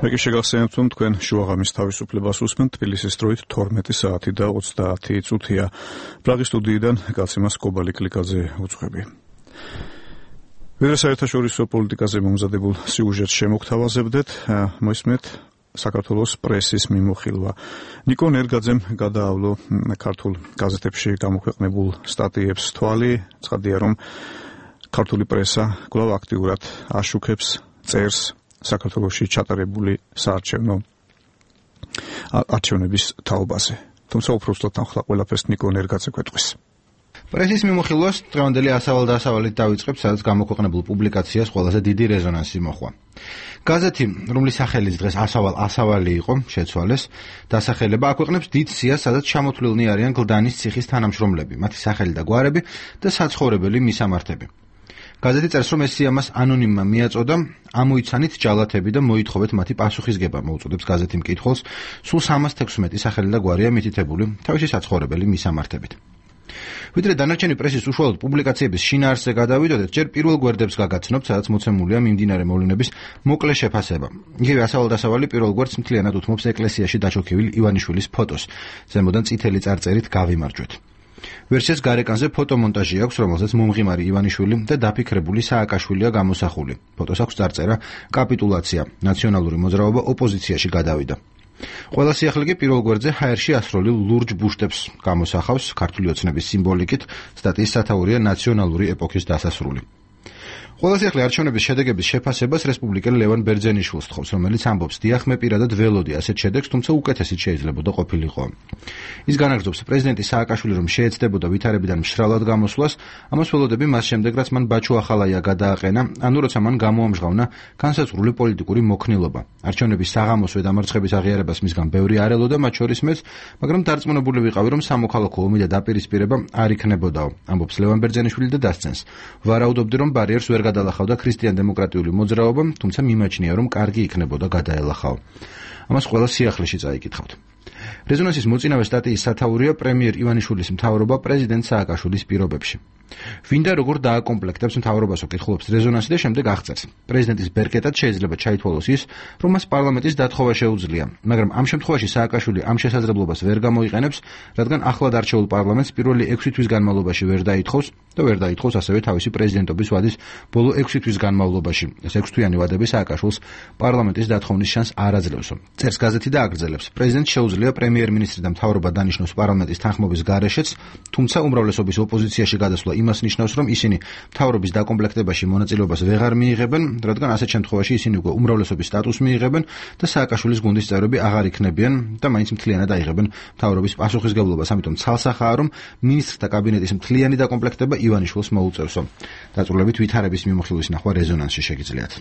მე კი შეგახსენებთ, რომ თქვენ შუაღამის თავისუფლებას უსმენთ თბილისის დროით თორმეტი საათი და ოცდაათი წუთია. პრაღის სტუდიიდან გაცემას კობალი კლიკაძე უძღვები. ვიდრე საერთაშორისო პოლიტიკაზე მომზადებულ სიუჟეტს შემოგთავაზებდეთ, მოისმენთ საქართველოს პრესის მიმოხილვა. ნიკო ნერგაძემ გადაავლო ქართულ გაზეთებში გამოქვეყნებულ სტატიებს თვალი, ცხადია, რომ ქართული პრესა კვლავ აქტიურად აშუქებს, წერს საქართველოში ჩატარებული საარჩევნო არჩევნების თაობაზე. თუმცა უფრო სწორად ახლა ყველაფერს ნიკო ნერგაძე გვეტყვის. პრესის მიმოხილვას დღევანდელი ასავალ-დასავალით დავიწყებთ, სადაც გამოქვეყნებულ პუბლიკაციას ყველაზე დიდი რეზონანსი მოჰყვა. გაზეთი, რომლის სახელიც დღეს ასავალ-ასავალი იყო, შეცვალეს, დასახელება აქვეყნებს დიდ სიას, სადაც ჩამოთვლილნი არიან გლდანის ციხის თანამშრომლები, მათი სახელი და გვარები და საცხოვრებელი მისამართები. გაზეთი წერს, რომ ეს სია მას ანონიმმა მიაწოდა, ამოიცანით ჯალათები და მოითხოვეთ მათი პასუხისგება, მოუწოდებს გაზეთი მკითხველს, სულ სამას თექვსმეტი სახელი და გვარია მითითებული თავისი საცხოვრებელი მისამართებით. ვიდრე დანარჩენი პრესის უშუალოდ პუბლიკაციების შინაარსზე გადავიდოდეთ, ჯერ პირველ გვერდებს გაგაცნობთ, სადაც მოცემულია მიმდინარე მოვლენების მოკლე შეფასება. იგივე ასავალ-დასავალი პირველ გვერდს მთლიანად უთმობს ეკლესიაში დაჩოქებულ ივანიშვილის ფოტოს, ზემოდან წითელი წარწერით გავიმარჯვეთ. ვერსიას გარეკანზე ფოტომონტაჟი აქვს, რომელზეც მომღიმარი ივანიშვილი და დაფიქრებული სააკაშვილია გამოსახული. ფოტოს აქვს წარწერა კაპიტულაცია, ნაციონალური მოძრაობა ოპოზიციაში გადავიდა. ყველა სიახლე კი პირველ გვერდზე ჰაერში ასროლილ ლურჯ ბუშტებს გამოსახავს, ქართული ოცნების სიმბოლიკით, სტატიის სათაურია ნაციონალური ეპოქის დასასრული. ყველა სიახლე არჩევნების შედეგების შეფასებას რესპუბლიკელი ლევან ბერძენიშვილს თხოვს, რომელიც ამბობს, დიახ, მე პირადად ველოდი ასეთ შედეგს, თუმცა უკეთესიც შეიძლებოდა ყოფილიყო. ის განაგრძობს, პრეზიდენტი სააკაშვილი რომ შეეცდებოდა ვითარებიდან მშრალად გამოსვლას, ამას ველოდები მას შემდეგ, რაც მან ბაჩუ ახალაია გადააყენა, ანუ როცა მან გამოამჟღავნა განსაზღვრული პოლიტიკური მოქნილობა. არჩევნების საღამოსვე დამარცხების აღიარებას მისგან ბევრი არ ელოდა, მათ შორის მეც, მაგრამ დარწმუნებული ვიყავი, რომ სამოქალაქო ომი და დაპირისპირება არ იქნებოდაო, ამბობს ლევან ბერძენიშვილი და დასცენს. ვარაუდობდი, რომ ბარიერს ვერ გადალახავდა ქრისტიან-დემოკრატიული მოძრაობა, თუმცა მიმაჩნია, რომ კარგი იქნებოდა გადაელახაო. ამას ყველა სიახლეში წაიკითხავთ. რეზონანსის მოწინავე სტატიის სათაურია პრემიერ ივანიშვილის მთავრობა პრეზიდენტ სააკაშვილის პირობებში. ვინდა როგორ დააკომპლექტებს მთავრობასო კითხულობს რეზონანსი და შემდეგ აღწერს. პრეზიდენტის ბერკეტად შეიძლება ჩაითვალოს ის, რომ მას პარლამენტის დათხოვა შეუძლია, მაგრამ ამ შემთხვევაში სააკაშვილი ამ შესაძლებლობას ვერ გამოიყენებს, რადგან ახლად არჩეულ პარლამენტს პირველი ექვსი თვის განმავლობაში ვერ დაითხოვს და ვერ დაითხოვს ასევე თავისი პრეზიდენტობის ვადის ბოლო ექვსი თვის განმავლობაში. ეს ექვსთვიანი ვადები სააკაშვილს პარლამენტის დათხოვნის შანსს არ აძლევსო. წერს გაზეთი და აგრძელებს. პრეზიდენტს შეუძლია პრემიერ-მინისტრი და მთავრობა დანიშნოს პარლამენტის თანხმობის გარეშეც, თუმცა უმრავლესობის ოპოზიციაში გადასვლა იმას ნიშნავს, რომ ისინი მთავრობის დაკომპლექტებაში მონაწილეობას ვეღარ მიიღებენ, რადგან ასეთ შემთხვევაში ისინი უკვე უმრავლესობის სტატუსს მიიღებენ და სააკაშვილის გუნდის წევრები აღარ იქნებიან და მაინც მთლიანად აიღებენ მთავრობის პასუხისგებლობას. ამიტომ ცალსახაა, რომ მინისტრთა კაბინეტის მთლიანი დაკომპლექტება ივანიშვილს მოუწევსო. დაწვრილებით ვითარების მიმოხილვის ნახვა რეზონანსში შეგიძლიათ.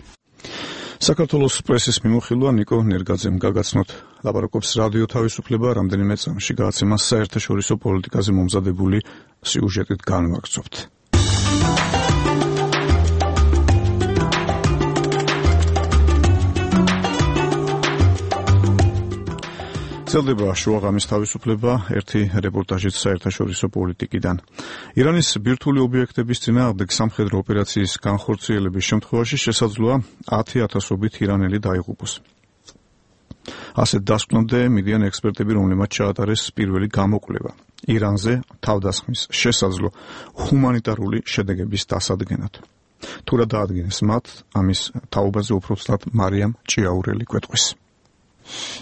საქართველოს პრესის მიმოხილვა ნიკო ნერგაძემ გაგაცნოთ. ლაპარაკობს რადიო თავისუფლება, რამდენიმე წამში გააცემა საერთაშორისო პოლიტიკაზე მომზადებული სიუჟეტით განვაგრძობთ. ძლდება შუაღამის თავისუფლება, ერთი რეპორტაჟით საერთაშორისო პოლიტიკიდან. ირანის ბირთვული ობიექტების წინააღმდეგ სამხედრო ოპერაციის განხორციელების შემთხვევაში შესაძლოა ათი ათასობით ირანელი დაიღუპოს. ასეთ დასკვნამდე მიდიან ექსპერტები, რომლებმაც ჩაატარეს პირველი გამოკვლევა ირანზე თავდასხმის შესაძლო ჰუმანიტარული შედეგების დასადგენად. თუ რა დაადგენეს მათ, ამის თაობაზე უბრალოდ მარიამ ჭიაურელი გვეტყვის.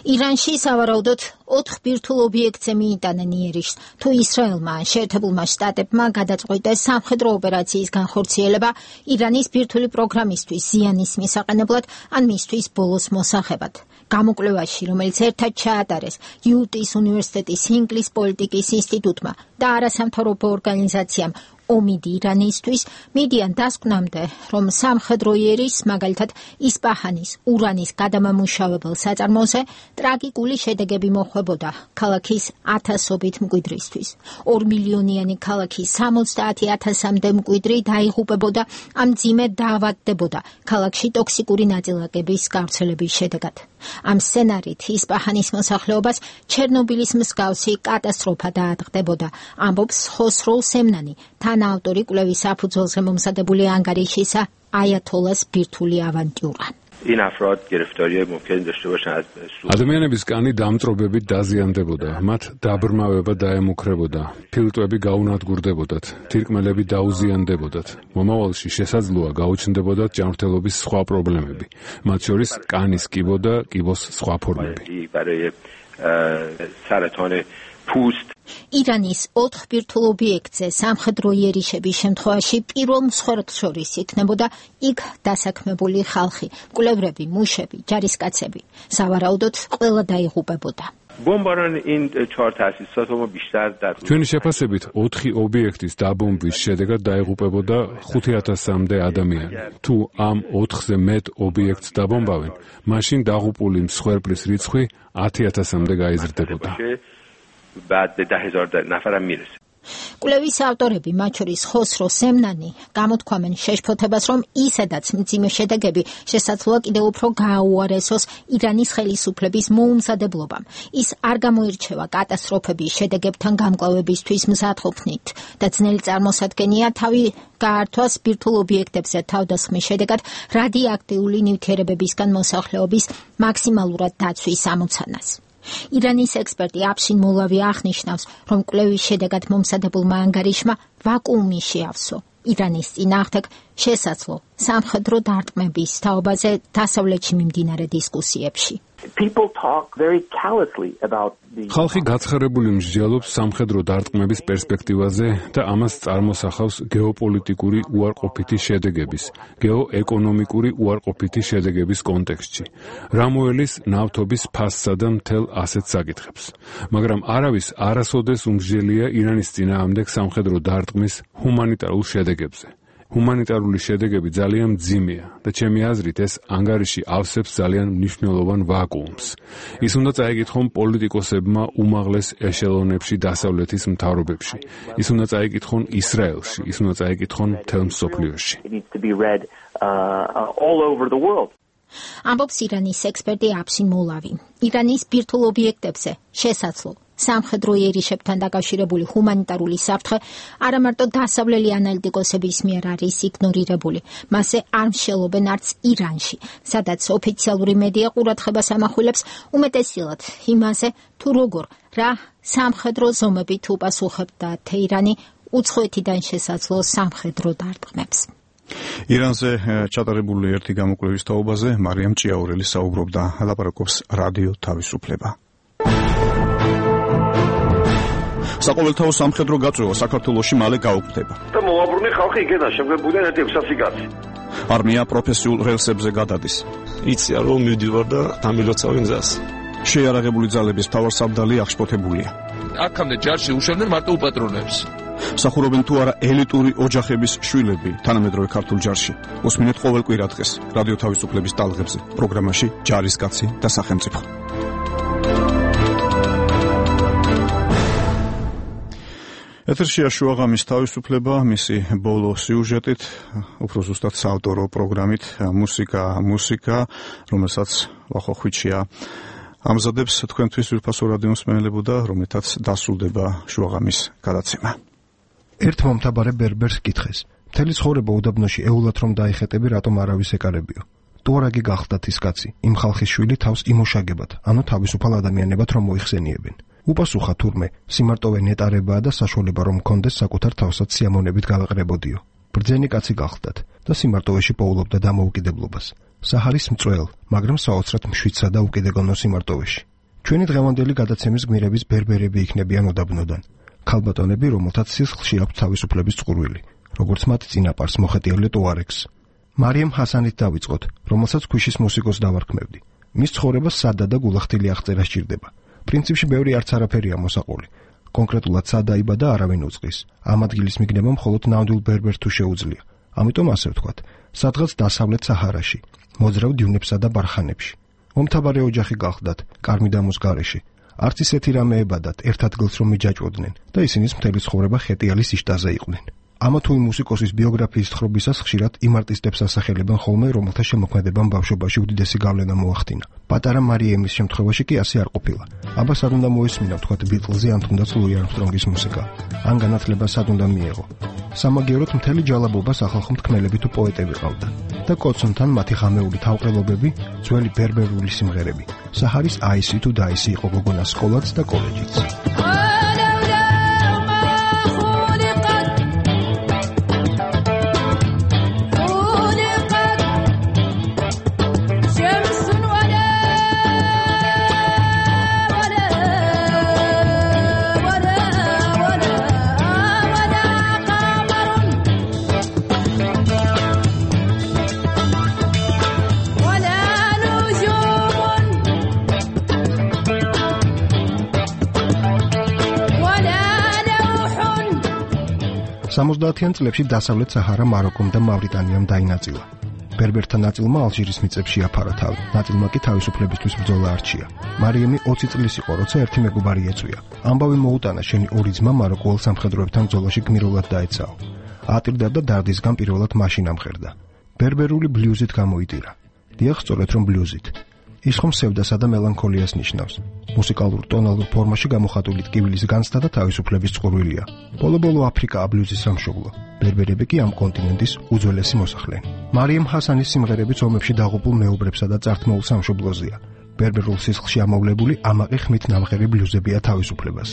ირანში სავარაუდოდ ოთხ ბირთვულ ობიექტზე მიიტანენ იერიშს. თუ ისრაელმა შეერთებულმა შტატებმა გადაწყვიტეს სამხედრო ოპერაციის განხორციელება ირანის ბირთვული პროგრამისთვის ზიანის მისაყენებლად ან მისთვის ბოლოს მოსახებად. გამოკვლევაში, რომელიც ერთად ჩაატარეს იუტის უნივერსიტეტის ინგლის პოლიტიკის ინსტიტუტმა და არასამთავრობო ორგანიზაციამ ომიდი ირანისთვის, მიდიან დასკვნამდე, რომ სამხედრო იერის, მაგალითად ისპაჰანის ურანის გადამამუშავებელ საწარმოზე ტრაგიკული შედეგები მოხვებოდა ქალაქის ათასობით მკვიდრისთვის. ორ მილიონიანი ქალაქის სამოცდაათი ათასამდე მკვიდრი დაიღუპებოდა, ამ მძიმე დაავადდებოდა ქალაქში ტოქსიკური ნაწილაკების გავრცელების შედეგად. ამ სცენარით ისპაჰანის მოსახლეობას ჩერნობილის მსგავსი კატასტროფა დაატყდებოდა, ამბობს ხოსროუ სემნანი, თანაავტორი კვლევის საფუძველზე მომზადებული ანგარიშისა აიათოლას ბირთვული ავანტიურა. این افراد گرفتاری ممکن داشته باشند از ადამიანების კანი დამწრობებით დაზიანდებოდა, მათ დაბრმავება დაემუქრებოდა, ფილტვები გაუნადგურდებოდათ, თირკმელები დაუზიანდებოდათ. მომავალში შესაძლოა გაუჩნდებოდათ ჯანმრთელობის სხვა პრობლემები, მათ შორის კანის კიბო და კიბოს სხვა ფორმები. برای سرطان پوست ირანის ოთხ ბირთვულ ობიექტზე სამხედრო იერიშების შემთხვევაში პირველ მსხვერპლს შორის იქნებოდა იქ დასაქმებული ხალხი, მკვლევრები, მუშები, ჯარისკაცები. სავარაუდოდ ყველა დაიღუპებოდა. بمباران این چهار تأسیسات ما بیشتر در ჩვენი შეფასებით ოთხი ობიექტის დაბომბვის შედეგად დაიღუპებოდა ხუთი ათასამდე ადამიანი. თუ ამ ოთხზე მეტ ობიექტს დაბომბავენ, მაშინ დაღუპული მსხვერპლის რიცხვი ათი ათასამდე გაიზრდებოდა. بعد به ده هزار نفر هم میرسه. კვლევის ავტორები, მათ შორის ხოსრო სემნანი, გამოთქვამენ შეშფოთებას, რომ ისედაც მძიმე შედეგები შესაძლოა კიდევ უფრო გააუარესოს ირანის ხელისუფლების მოუმზადებლობამ. ის არ გამოირჩევა კატასტროფების შედეგებთან გამკლავებისთვის მზადყოფნით და ძნელი წარმოსადგენია თავი გაართვას ბირთვულ ობიექტებზე თავდასხმის შედეგად რადიოაქტიული ნივთიერებებისგან მოსახლეობის მაქსიმალურად დაცვის ამოცანას. ირანის ექსპერტი აფშინ მოლავი აღნიშნავს, რომ კვლევის შედეგად მომზადებულმა ანგარიშმა ვაკუუმი შეავსო. ირანის წინააღმდეგ შესაძლო სამხედრო დარტყმების თაობაზე დასავლეთში მიმდინარე დისკუსიებში. ხალხი გაცხარებული მსჯელობს სამხედრო დარტყმების პერსპექტივაზე და ამას წარმოსახავს გეოპოლიტიკური უარყოფითი შედეგების, გეოეკონომიკური უარყოფითი შედეგების კონტექსტში. რა მოელის ნავთობის ფასსა და მთელ ასეთ საკითხებს. მაგრამ არავის არასოდეს უმსჯელია ირანის წინააღმდეგ სამხედრო დარტყმის ჰუმანიტარულ შედეგებზე. ჰუმანიტარული შედეგები ძალიან მძიმეა და ჩემი აზრით ეს ანგარიში ავსებს ძალიან მნიშვნელოვან ვაკუუმს. ის უნდა წაიკითხონ პოლიტიკოსებმა უმაღლეს ეშელონებში დასავლეთის მთავრობებში. ის უნდა წაიკითხონ ისრაელში, ის უნდა წაიკითხონ მთელ მსოფლიოში. ამბობს ირანის ექსპერტი აფშინ მოლავი. ირანის ბირთვულ ობიექტებზე შესაძლო სამხედრო იერიშებთან დაკავშირებული ჰუმანიტარული საფრთხე არა მარტო დასავლელი ანალიტიკოსების მიერ არის იგნორირებული, მასზე არ მსჯელობენ არც ირანში, სადაც ოფიციალური მედია ყურადღებას ამახვილებს უმეტესილად იმაზე, თუ როგორ რა სამხედრო ზომებით უპასუხებდა თეირანი უცხოეთიდან შესაძლო სამხედრო დარტყმებს. ირანზე ჩატარებული ერთი გამოკვლევის თაობაზე მარიამ ჭიაურელი საუბრობდა, ლაპარაკობს რადიო თავისუფლება. საყოველთაო სამხედრო გაწვევა საქართველოში მალე გაუქმდება. და მოაბრუნე ხალხი იქიდან შემგებუდენ ერთ ექვსი კაცი. არმია პროფესიულ რელსებზე გადადის. იციან რომ მივდივარ და დამილოცავენ გზას. შეიარაღებული ძალების მთავარსარდალი აღშფოთებულია. აქამდე ჯარში უშვებდნენ მარტო უპატრონებს. სახურობენ თუ არა ელიტური ოჯახების შვილები თანამედროვე ქართულ ჯარში. უსმინეთ ყოველ კვირა დღეს რადიო თავისუფლების ტალღებზე პროგრამაში ჯარისკაცი და სახელმწიფო. ეთერშია შუაღამის თავისუფლება, მისი ბოლო სიუჟეტით, უფრო ზუსტად საავტორო პროგრამით მუსიკა, მუსიკა, რომელსაც ვახოხვიჩია ამზადებს თქვენთვის ვირფასო რადიო მსმენელებო და რომელთაც დასრულდება შუაღამის გადაცემა. ერთ მომთაბარე ბერბერს კითხეს: მთელი ცხოვრება უდაბნოში ეულად რომ დაიხეტები, რატომ არავის ეკარებიო? თუ არაგი გახდათ ის კაცი, იმ ხალხის შვილი თავს იმუშაგებად, ანუ თავისუფალ ადამიანებად რომ მოიხსენიებენ. უპასუხა თურმე, სიმარტოვე ნეტარებაა და საშუალება რომ მქონდეს საკუთარ თავსაც სიამოვნებით გავეყრებოდიო. ბრძენი კაცი გახდათ და სიმარტოვეში პოულობდა დამოუკიდებლობას. საჰარის მწველ, მაგრამ საოცრად მშვიდსა და უკიდეგონო სიმარტოვეში. ჩვენი დღევანდელი გადაცემის გმირების ბერბერები იქნებიან უდაბნოდან. ქალბატონები, რომელთაც სისხლში აქვს თავისუფლების წყურვილი, როგორც მათ წინაპარს მოხეტიალე ტუარეგს. მარიამ ჰასანით დავიწყოთ, რომელსაც ქვიშის მუსიკოს დავარქმევდი. მის ცხოვრებას სადა და გულახდილი აღწერა სჭირდება. პრინციპში ბევრი არც არაფერია მოსაყოლი. კონკრეტულად სად დაიბადა არავინ უწყის. ამ ადგილის მიგნება მხოლოდ ნამდვილ ბერბერს თუ შეუძლია. ამიტომ ასე ვთქვათ, სადღაც დასავლეთ საჰარაში, მოძრავ დიუნებსა და ბარხანებში. მომთაბარე ოჯახი გახლდათ, კარმიდამოს გარეშე. არც ისეთი რამე ებადათ, ერთ ადგილს რომ მიჯაჭვოდნენ და ისინიც მთელი ცხოვრება ხეტიალის იშტაზე იყვნენ. ამა თუ იმ მუსიკოსის ბიოგრაფიის თხრობისას ხშირად იმ არტისტებს ასახელებენ ხოლმე, რომელთა შემოქმედებამ ბავშვობაში უდიდესი გავლენა მოახდინა. პატარა მარიემის შემთხვევაში კი ასე არ ყოფილა. აბა სად უნდა მოისმინა ვთქვათ ბიტლზე ან თუნდაც ლუი არმსტრონგის მუსიკა? ან განათლება სად უნდა მიეღო? სამაგიეროდ მთელი ჯალაბობა სახალხო მთქმელები თუ პოეტები ყავდა და კოცონთან მათი ღამეული თავყელობები, ძველი ბერბერული სიმღერები. საჰარის აისი თუ დაისი იყო გოგონას სკოლაც და კოლეჯიც. სამოცდაათიან წლებში დასავლეთ საჰარა მაროკომ და მავრიტანიამ დაინაწილა. ბერბერთა ნაწილმა ალჟირის მიწებში აფარა თავი, ნაწილმა კი თავისუფლებისთვის ბრძოლა არჩია. მარიემი ოცი წლის იყო, როცა ერთი მეგობარი ეწვია. ამბავი მოუტანა, შენი ორი ძმა მაროკოელ სამხედროებთან ბრძოლაში გმირულად დაეცაო. ატირდა და დარდისგან პირველად მაშინ ამღერდა. ბერბერული ბლიუზით გამოიტირა. დიახ, სწორედ რომ ბლიუზით. ის ხომ სევდასა და მელანქოლიას ნიშნავს. მუსიკალურ ტონალურ ფორმაში გამოხატული ტკივილის განცდა და თავისუფლების წყურვილია. ბოლო-ბოლო აფრიკა აბლიუზის სამშობლო. ბერბერები კი ამ კონტინენტის უძველესი მოსახლენი. მარიემ ჰასანის სიმღერებიც ომებში დაღუპულ მეუბრებსა და წართმოულ სამშობლოზეა. ბერბერულ სისხლში ამოვლებული ამაყი ხმით ნამღერი ბლიუზებია თავისუფლებას.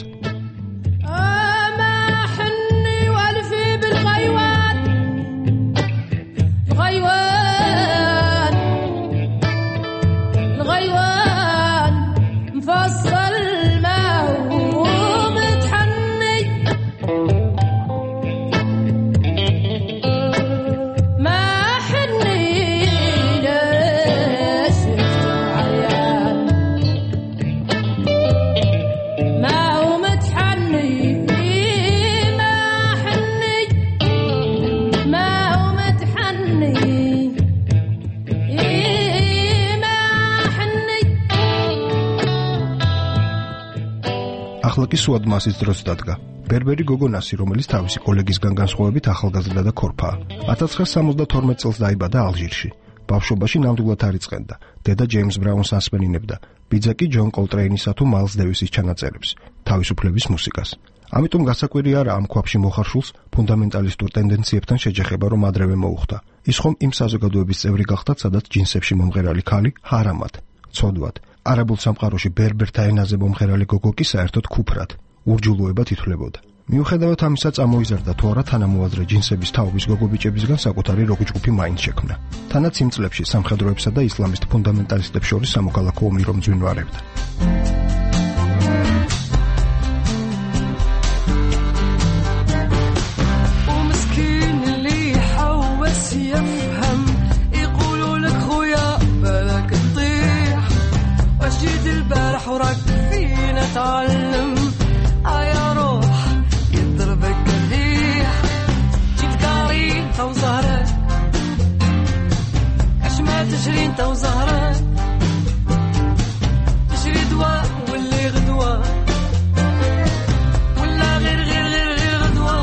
ახლა კი სუად მასის დროს დადგა. ბერბერი გოგონასი, რომელიც თავისი კოლეგისგან განსხვავებით ახალგაზრდა და ქორფაა. ათას ცხრაასი სამოცდათორმეტ წელს დაიბადა ალჟირში. ბავშვობაში ნამდვილად არ იწყენდა. დედა ჯეიმს ბრაუნს ასმენინებდა. ბიძა კი ჯონ კოლტრეინისა თუ მაილს დევისის ჩანაწერებს, თავისუფლების მუსიკას. ამიტომ გასაკვირი არა ამ ქვაბში მოხარშულს ფუნდამენტალისტურ ტენდენციებთან შეჯახება რომ ადრევე მოუხდა. ის ხომ იმ საზოგადოების წევრი გახდა, სადაც ჯინსებში მომღერალი ქალი ჰარამად, ცოდვად, არაბულ სამყაროში ბერბერთა ენაზე მომღერალი გოგო კი საერთოდ ქუფრად, ურჯულოებად ითვლებოდა. მიუხედავად ამისა წამოიზარდა თუ არა თანამოაზრე ჯინსების თაობის გოგობიჭებისგან საკუთარი როკ ჯგუფი მაინც შექმნა. თანაც იმ წლებში სამხედროებსა და ისლამისტ ფუნდამენტალისტებს შორის სამოქალაქო ომი რომ ძვინვარებდა. وراك فينا تعلم يا روح يضربك الريح جيت قاري انت وزهرك عش ما تجري انت وزهرك تجري دواء واللي غدوة ولا غير غير غير غير غدوة.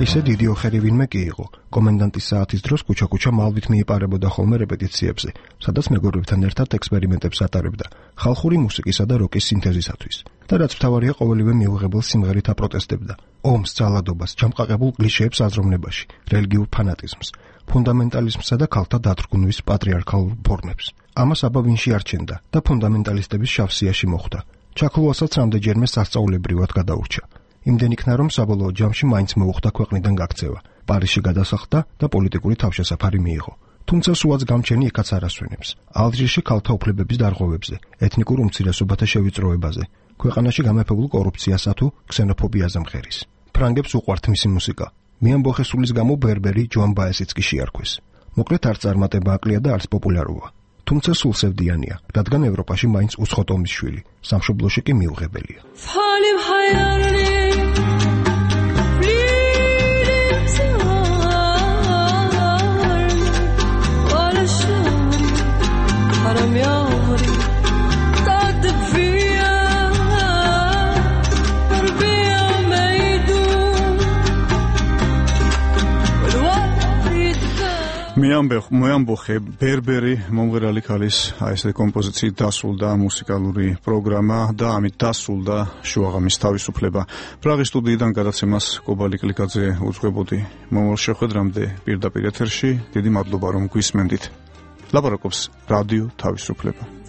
ისე დიდი ოხერი ვინმე კი იყო. კომენდანტის საათის დროს კუჩა-კუჩა მალვით მიიპარებოდა ხოლმე რეპეტიციებზე, სადაც მეგობრებთან ერთად ექსპერიმენტებს ატარებდა ხალხური მუსიკისა და როკის სინთეზისათვის. და რაც მთავარია, ყოველივე მიუღებელ სიმღერით აპროტესტებდა ომს, ძალადობას, ჯამყაყებულ კლიშეებს აზროვნებაში, რელიგიურ ფანატიზმს, ფუნდამენტალიზმსა და ქალთა დათრგუნვის პატრიარქალურ ფორმებს. ამას აბა ვინ შეარჩენდა და ფუნდამენტალისტების შავსიაში მოხვდა. ჩაქლუასაც რამდენჯერმე სასწაულებრივად გადაურჩა. იმდენ იქნა რომ საბოლოო ჯამში მაინც მოუხდა ქვეყნიდან გაქცევა. პარიზში გადასახლდა და პოლიტიკური თავშესაფარი მიიღო. თუმცა სუაც გამჩენი იქაც არ ასვენებს. ალჟირში ქალთა უფლებების დარღვევებზე, ეთნიკურ უმცირესობათა შევიწროებაზე, ქვეყანაში გამეფებულ კორუფციასა თუ ქსენოფობიაზე მღერის. ფრანგებს უყვართ მისი მუსიკა. მიამბოხესულის გამო ბერბერი ჯოან ბაესიც კი შეარქვეს. მოკლედ არც წარმატება აკლია და არც პოპულარობა. თუმცა სულ სევდიანია, რადგან ევროპაში მაინც უცხო ტომის შვილი, სამშობლოში კი მიუღებელია. მეამბოხე ბერბერი მომღერალი ქალის აი ეს კომპოზიციით დასრულდა მუსიკალური პროგრამა და ამით დასრულდა შუაღამის თავისუფლება. პრაღის სტუდიიდან გადაცემას კობალი კლიკაძე უძღვებოდი. მომავალ შეხვედრამდე პირდაპირ ეთერში დიდი მადლობა რომ გვისმენდით. ლაპარაკობს რადიო თავისუფლება.